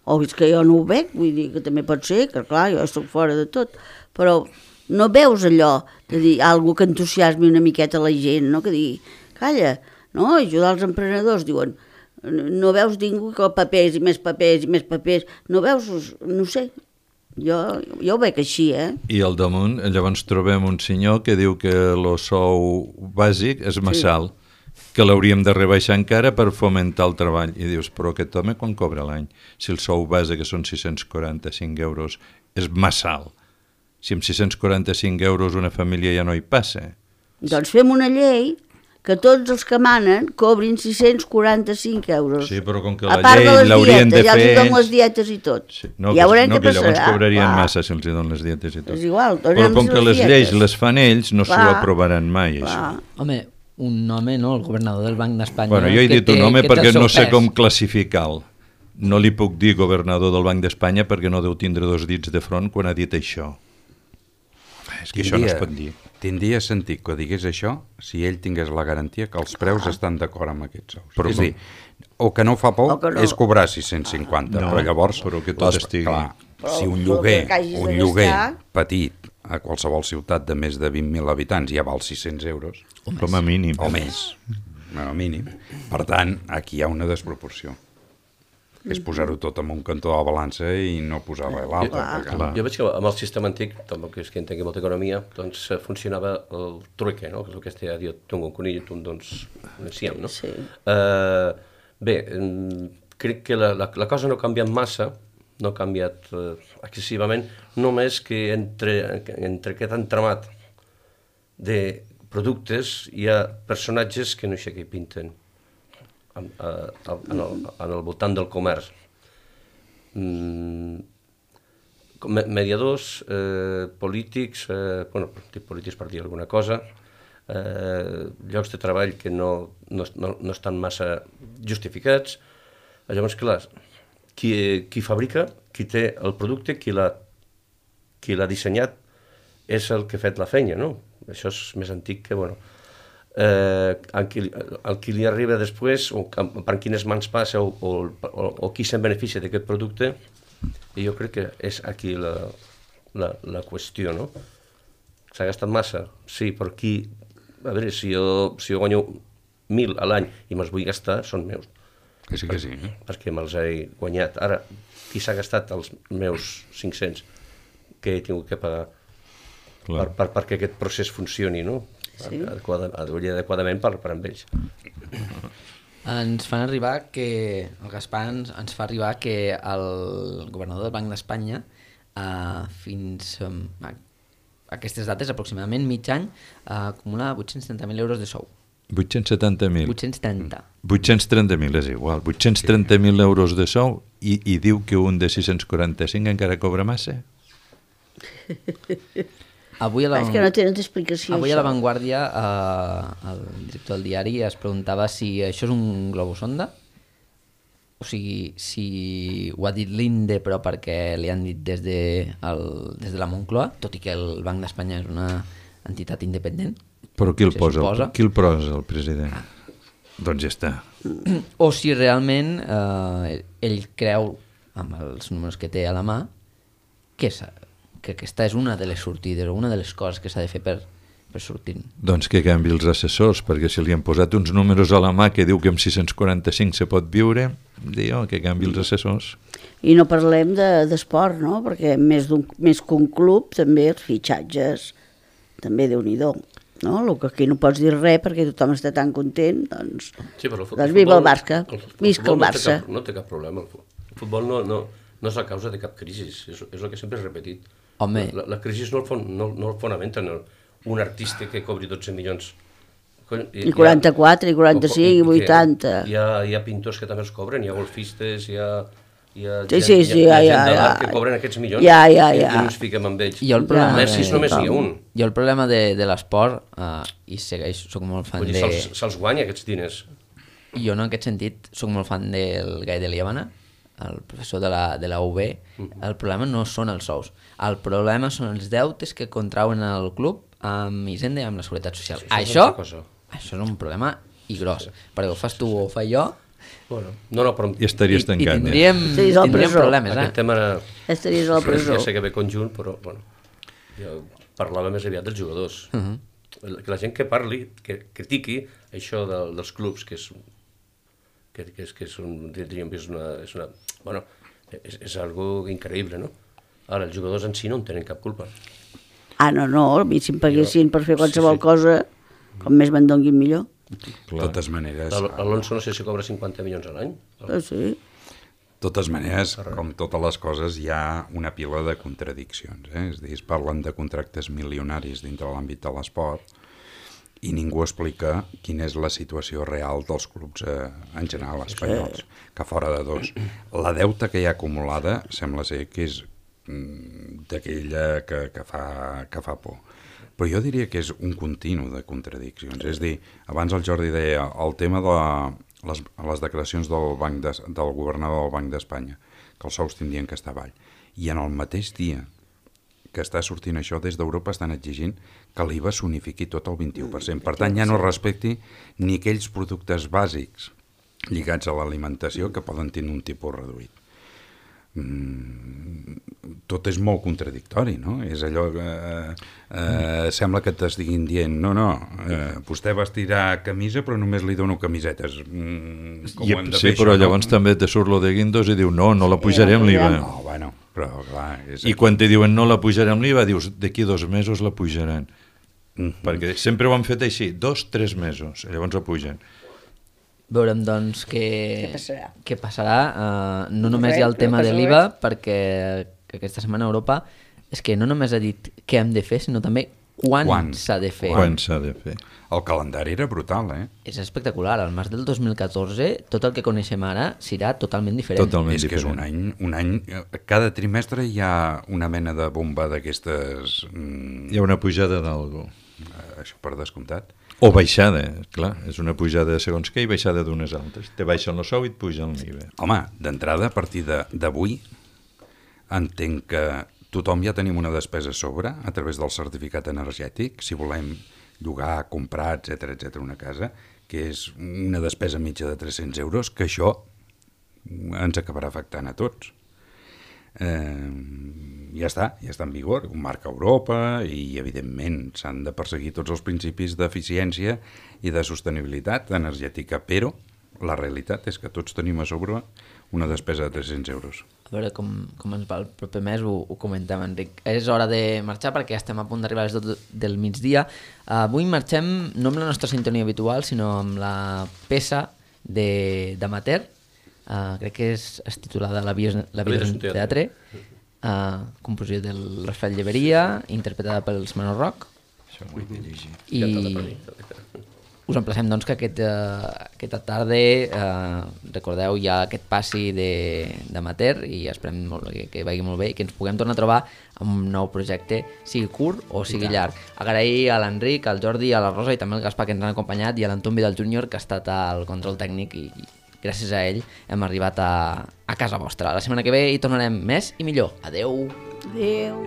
O és que jo no ho veig, vull dir que també pot ser, que clar, jo estic fora de tot, però no veus allò de dir alguna que entusiasmi una miqueta la gent, no? Que digui, calla, no? Ajudar els emprenedors, diuen, no veus ningú que papers i més papers i més papers, no veus, no sé, jo, jo ho veig així, eh? I al damunt, llavors trobem un senyor que diu que el sou bàsic és massa alt, que l'hauríem de rebaixar encara per fomentar el treball. I dius, però aquest home quan cobra l'any? Si el sou base, que són sis-cents quaranta-cinc euros, és massa alt. Si amb sis-cents quaranta-cinc euros una família ja no hi passa. Doncs fem una llei que tots els que manen cobrin sis-cents quaranta-cinc euros. Sí, però com que A la part llei les l'haurien de dietes, ja fer els donen ells... les dietes i tot. Sí, no, ja que, veurem no, què que llavors passarà. cobrarien Clar. massa si els hi donen les dietes i tot. És igual, Però donem com que les les dietes. lleis les fan ells, no s'ho Clar. aprovaran mai, Clar. això. Home, un home, no?, el governador del Banc d'Espanya... Bueno, jo he que dit un té- home que té perquè el seu no sé pes. com classificar-lo. No li puc dir governador del Banc d'Espanya perquè no deu tindre dos dits de front quan ha dit això. És que això no es pot dir. Tindria sentit que digués això si ell tingués la garantia que els preus estan d'acord amb aquests sous. Però és com? dir, o que no fa por O que no. és cobrar sis-cents cinquanta, No, però llavors... però que tot estigui. Clar, Però- si un però lloguer, que hagis de un lloguer gastar- petit a qualsevol ciutat de més de vint mil habitants ja val sis-cents euros, Com a mínim. o més, com a mínim. Per tant, aquí hi ha una desproporció. És posar-ho tot en un cantó de la balança i no posar res a l'altre. Clar. perquè- Clar. Jo veig que amb el sistema antic, tampoc és que entengui molta economia, doncs eh, funcionava el trueque, no? Que és el que es deia, jo tinc un conill i tu em dones un enciam, no? Sí. Eh, bé, em, crec que la, la, la cosa no ha canviat massa, no ha canviat eh, excessivament, només que entre, entre aquest entramat de productes hi ha personatges que no sé què pinten en, en, en, el, en el voltant del comerç. Mm, com me- mediadors, eh, polítics, eh, bueno, dic polítics per dir alguna cosa, eh, llocs de treball que no, no, no, no estan massa justificats. Llavors, clar, qui, qui fabrica, qui té el producte, qui l'ha qui l'ha dissenyat, és el que ha fet la feina, no? Això és més antic que, bueno, eh, el, qui, el qui li arriba després, o per quines mans passa, o, o, o, o qui se'n beneficia d'aquest producte, i jo crec que és aquí la, la, la qüestió, no? S'ha gastat massa? Sí, però qui... A veure, si jo, si jo guanyo mil a l'any i me'ls vull gastar, són meus, Que sí, que sí. Eh? perquè me'ls he guanyat. Ara, qui s'ha gastat els meus cinc-cents que he tingut que pagar per, Clar. per, perquè aquest procés funcioni, no? Sí. Adequada, adequadament per, per amb ells. Ens fan arribar que, el Gaspar ens, ens fa arribar que el governador del Banc d'Espanya eh, fins um, a aquestes dates, aproximadament mig any, eh, acumula vuit-cents trenta mil euros de sou. vuit-cents setanta mil. vuit-cents trenta. vuit-cents trenta mil és igual. vuit-cents trenta mil euros de sou i, i diu que un de sis-cents quaranta-cinc encara cobra massa? Avui a la, És que no tenen explicació, avui a això. La Vanguardia eh, el director del diari es preguntava si això és un globus sonda, o sigui, si ho ha dit l'Inde però perquè li han dit des de, el, des de la Moncloa, tot i que el Banc d'Espanya és una entitat independent. Però qui el Se posa? suposa. El, qui el posa, el president? Doncs ja està. O si realment eh, ell creu, amb els números que té a la mà, que, és, que aquesta és una de les sortides o una de les coses que s'ha de fer per, per sortir. Doncs que canvi els assessors, perquè si li han posat uns números a la mà que diu que amb sis-cents quaranta-cinc se pot viure, diu que canvi els assessors. I no parlem de- d'esport, no? Perquè més, d'un, més que un club, també els fitxatges, també Déu-n'hi-do. No? El que aquí no pots dir res perquè tothom està tan content, doncs, Sí, però el, fu- doncs viva el futbol- Barça, el fu- visca futbol el no té Barça. cap- No té cap problema. El fu- el futbol no, no, no és la causa de cap crisi, és, és el que sempre he repetit. Home. La, la crisi no el, fon, no, no el fonamenta en el, un artista que cobri dotze milions. Cony, I quaranta-quatre, i quaranta-cinc, i que vuitanta. Hi ha, hi ha pintors que també els cobren, hi ha golfistes, hi ha Hi ha Sí, gent, sí, sí, hi ha, ja, hi ha ja, gent de ja. l'A R que cobren aquests milions Ja, ja, i, ja. i no ens fiquem amb ells. Jo el problema A Messi de- només n'hi ha un. Jo el problema de, de l'esport, uh, i segueix, soc molt fan Vull dir, de... se'ls se guanya aquests diners. Jo no, en aquest sentit, soc molt fan del Gai de Liabana, el professor de la, de la U B. El problema no són els sous. El problema són els deutes que contrauen el club amb Hisenda i amb la Seguretat Social. Sí, això és això, altra cosa. això és un problema i gros, perquè ho fas tu o ho faig jo, Bueno, no, no, però I estaries i, i tancat. tindríem, Estaries a la tindríem presó. problemes, aquest eh? tema Estaries a la presó. ja sé que ve conjunt, però bueno, jo parlava més aviat dels jugadors. Uh -huh. Que la gent que parli, que critiqui això de, dels clubs, que és, que, que és, que és, un, diríem que és una... És una bueno, és, és algo increïble, no? Ara, els jugadors en si no en tenen cap culpa. Ah, no, no, a mi si em paguessin per fer qualsevol Sí, sí. cosa, com més me'n donguin millor. De totes maneres, Al- Alonso no sé si cobra cinquanta milions a l'any. Ah, sí. totes maneres, com totes les coses, hi ha una pila de contradiccions. Eh? És a dir, es parlen de contractes milionaris dintre l'àmbit de l'esport i ningú explica quina és la situació real dels clubs eh, en general espanyols, que fora de dos. La deuta que hi ha acumulada sembla ser que és mm, d'aquella que, que, fa, que fa por. Però jo diria que és un continu de contradiccions. És a dir, abans el Jordi deia el tema de la, les, les declaracions del, banc de, del governador del Banc d'Espanya, que els sous tindrien que estar avall. I en el mateix dia que està sortint això, des d'Europa estan exigint que l'I V A s'unifiqui tot al vint-i-u per cent. Per tant, ja no respecti ni aquells productes bàsics lligats a l'alimentació que poden tenir un tipus reduït. Mm, tot és molt contradictori, no? És allò que eh, eh, sembla que t'estiguin dient no, no, eh, vostè vestirà camisa però només li dono camisetes. Mm, com I, ho hem de sí, fer, però això, llavors no? també te surt lo de Guindos i diu no, no la pujarem l'I V A. No, bueno, però clar... És I quan te diuen no la pujarem l'I V A, dius d'aquí dos mesos la pujaran. Mm-hmm. Perquè sempre ho han fet així, dos, tres mesos, i llavors la pugen. Veurem, doncs, què, Què passarà. Què passarà. Uh, no només res, hi ha el no tema passa de l'I V A, res. perquè aquesta setmana a Europa és que no només ha dit què hem de fer, sinó també quan, Quan. s'ha de fer. Quan s'ha de fer? El calendari era brutal, eh? És espectacular. Al març del dos mil catorze, tot el que coneixem ara serà totalment diferent. Totalment És que és diferent. un any, un any... Cada trimestre hi ha una mena de bomba d'aquestes... Mm, Hi ha una pujada d'algú. això per descomptat. O baixada, clar, és una pujada de segons què i baixada d'unes altres. Te baixen el sou i et pugen l'I V A. Home, d'entrada, a partir de- d'avui, entenc que tothom ja tenim una despesa a sobre a través del certificat energètic, si volem llogar, comprar, etcètera, etcètera, una casa, que és una despesa mitja de tres-cents euros, que això ens acabarà afectant a tots. Eh, ja està, ja està en vigor, un marc a Europa i evidentment s'han de perseguir tots els principis d'eficiència i de sostenibilitat energètica, però la realitat és que tots tenim a sobre una despesa de tres-cents euros. A veure com, com ens va el proper mes, ho, ho comentem, Enric. És hora de marxar perquè ja estem a punt d'arribar a les dotze del migdia. Uh, avui marxem no amb la nostra sintonia habitual, sinó amb la peça d'Amater. Uh, crec que és, és titulada La vida, la vida és un teatre. Uh, composició del Rafael Lleberia, interpretada pels Manor Rock. Això ho he de llegir. I us emplacem doncs que aquest, uh, aquesta tarda uh, recordeu ja aquest passi d'Amater i esperem molt, que, que vagi molt bé i que ens puguem tornar a trobar amb un nou projecte, sigui curt o sigui llarg. Agrair a l'Enric, al Jordi, a la Rosa i també al Gaspar que ens han acompanyat i a l'Anton Vidal júnior que ha estat al control tècnic i, i gràcies a ell hem arribat a, a casa vostra. La setmana que ve hi tornarem més i millor. Adeu! Adéu.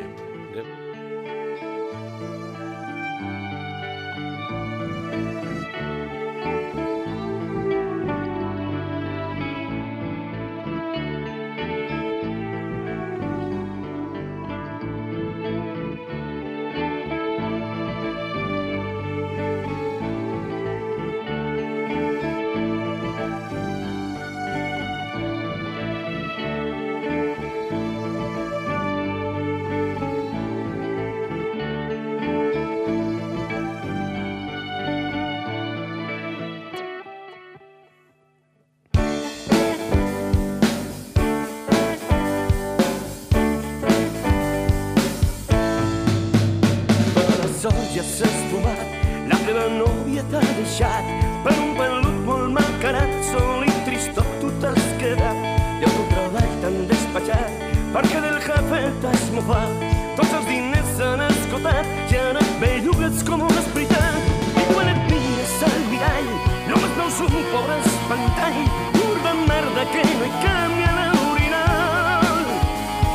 Ja s'ha esfumat, la teva nòvia t'ha deixat per un pelut molt malcarat, sol i tristot tu t'has quedat i el teu treball tan despatxat, perquè del jefe t'has mofat. Tots els diners s'han esgotat i ara et bellugues com un esperitat. I quan et mires al mirall només veus un pobre espantall, pur de merda que no hi canvia l'orinal.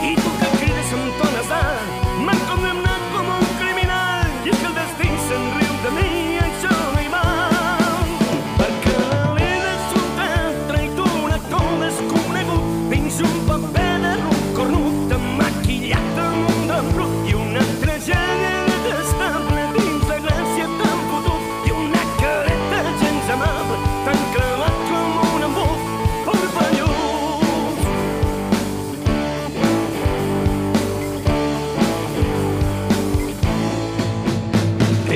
I tu que crides amb to nasal, m'han condemnat com un criminal, i és que el destí se'n riu de mi, això no hi val. Perquè la vida és un teatre i tu un actor desconegut dins un paper de ruc cornut emmaquillat amb un d'embrut i una tragèdia detestable dins la gràcia tan fotut i una careta gens amable tan clavat com un embut porpallús.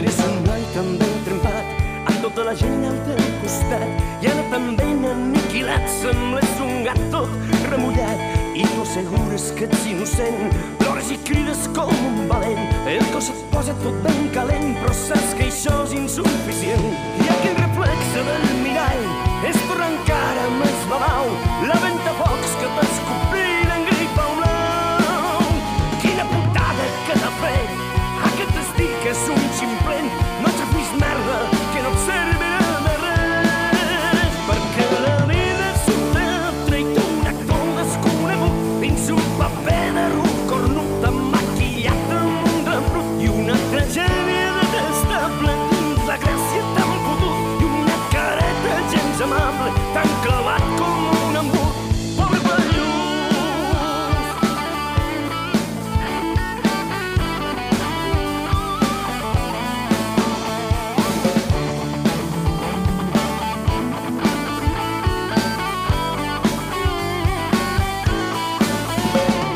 Eres un noi tan ben trempat amb tota la gent al teu costat i ara tan ben aniquilat, sembles un gat tot remullat i tu assegures que ets innocent, plores i crides com un valent, el cos et posa tot ben calent però saps que això és insuficient i aquell reflexe del mirall és tornar encara més babau, la ventafocs que t'escopir en gripa blau. Quina putada que t'ha fet aquest destí que és un ximplet, no ets vist merda que no et servirà de res, perquè la vida és un teatre i tu un actor desconegut dins un paper de ruc cornut emmaquillat amb un d'embrut i una tragèdia detestable dins la gràcia tan fotut i una careta gens amable tan clavat com un embut porpallús.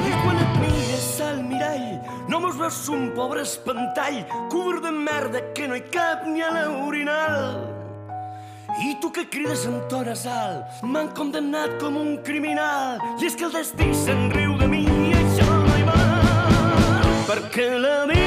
I quan et mires al mirall només veus un pobre espantall, curt de merda que no hi cap ni a l'orinal. I tu que crides amb to nasal, m'han condemnat com un criminal, i és que el destí se'n riu de mi i això no hi va, perquè la vida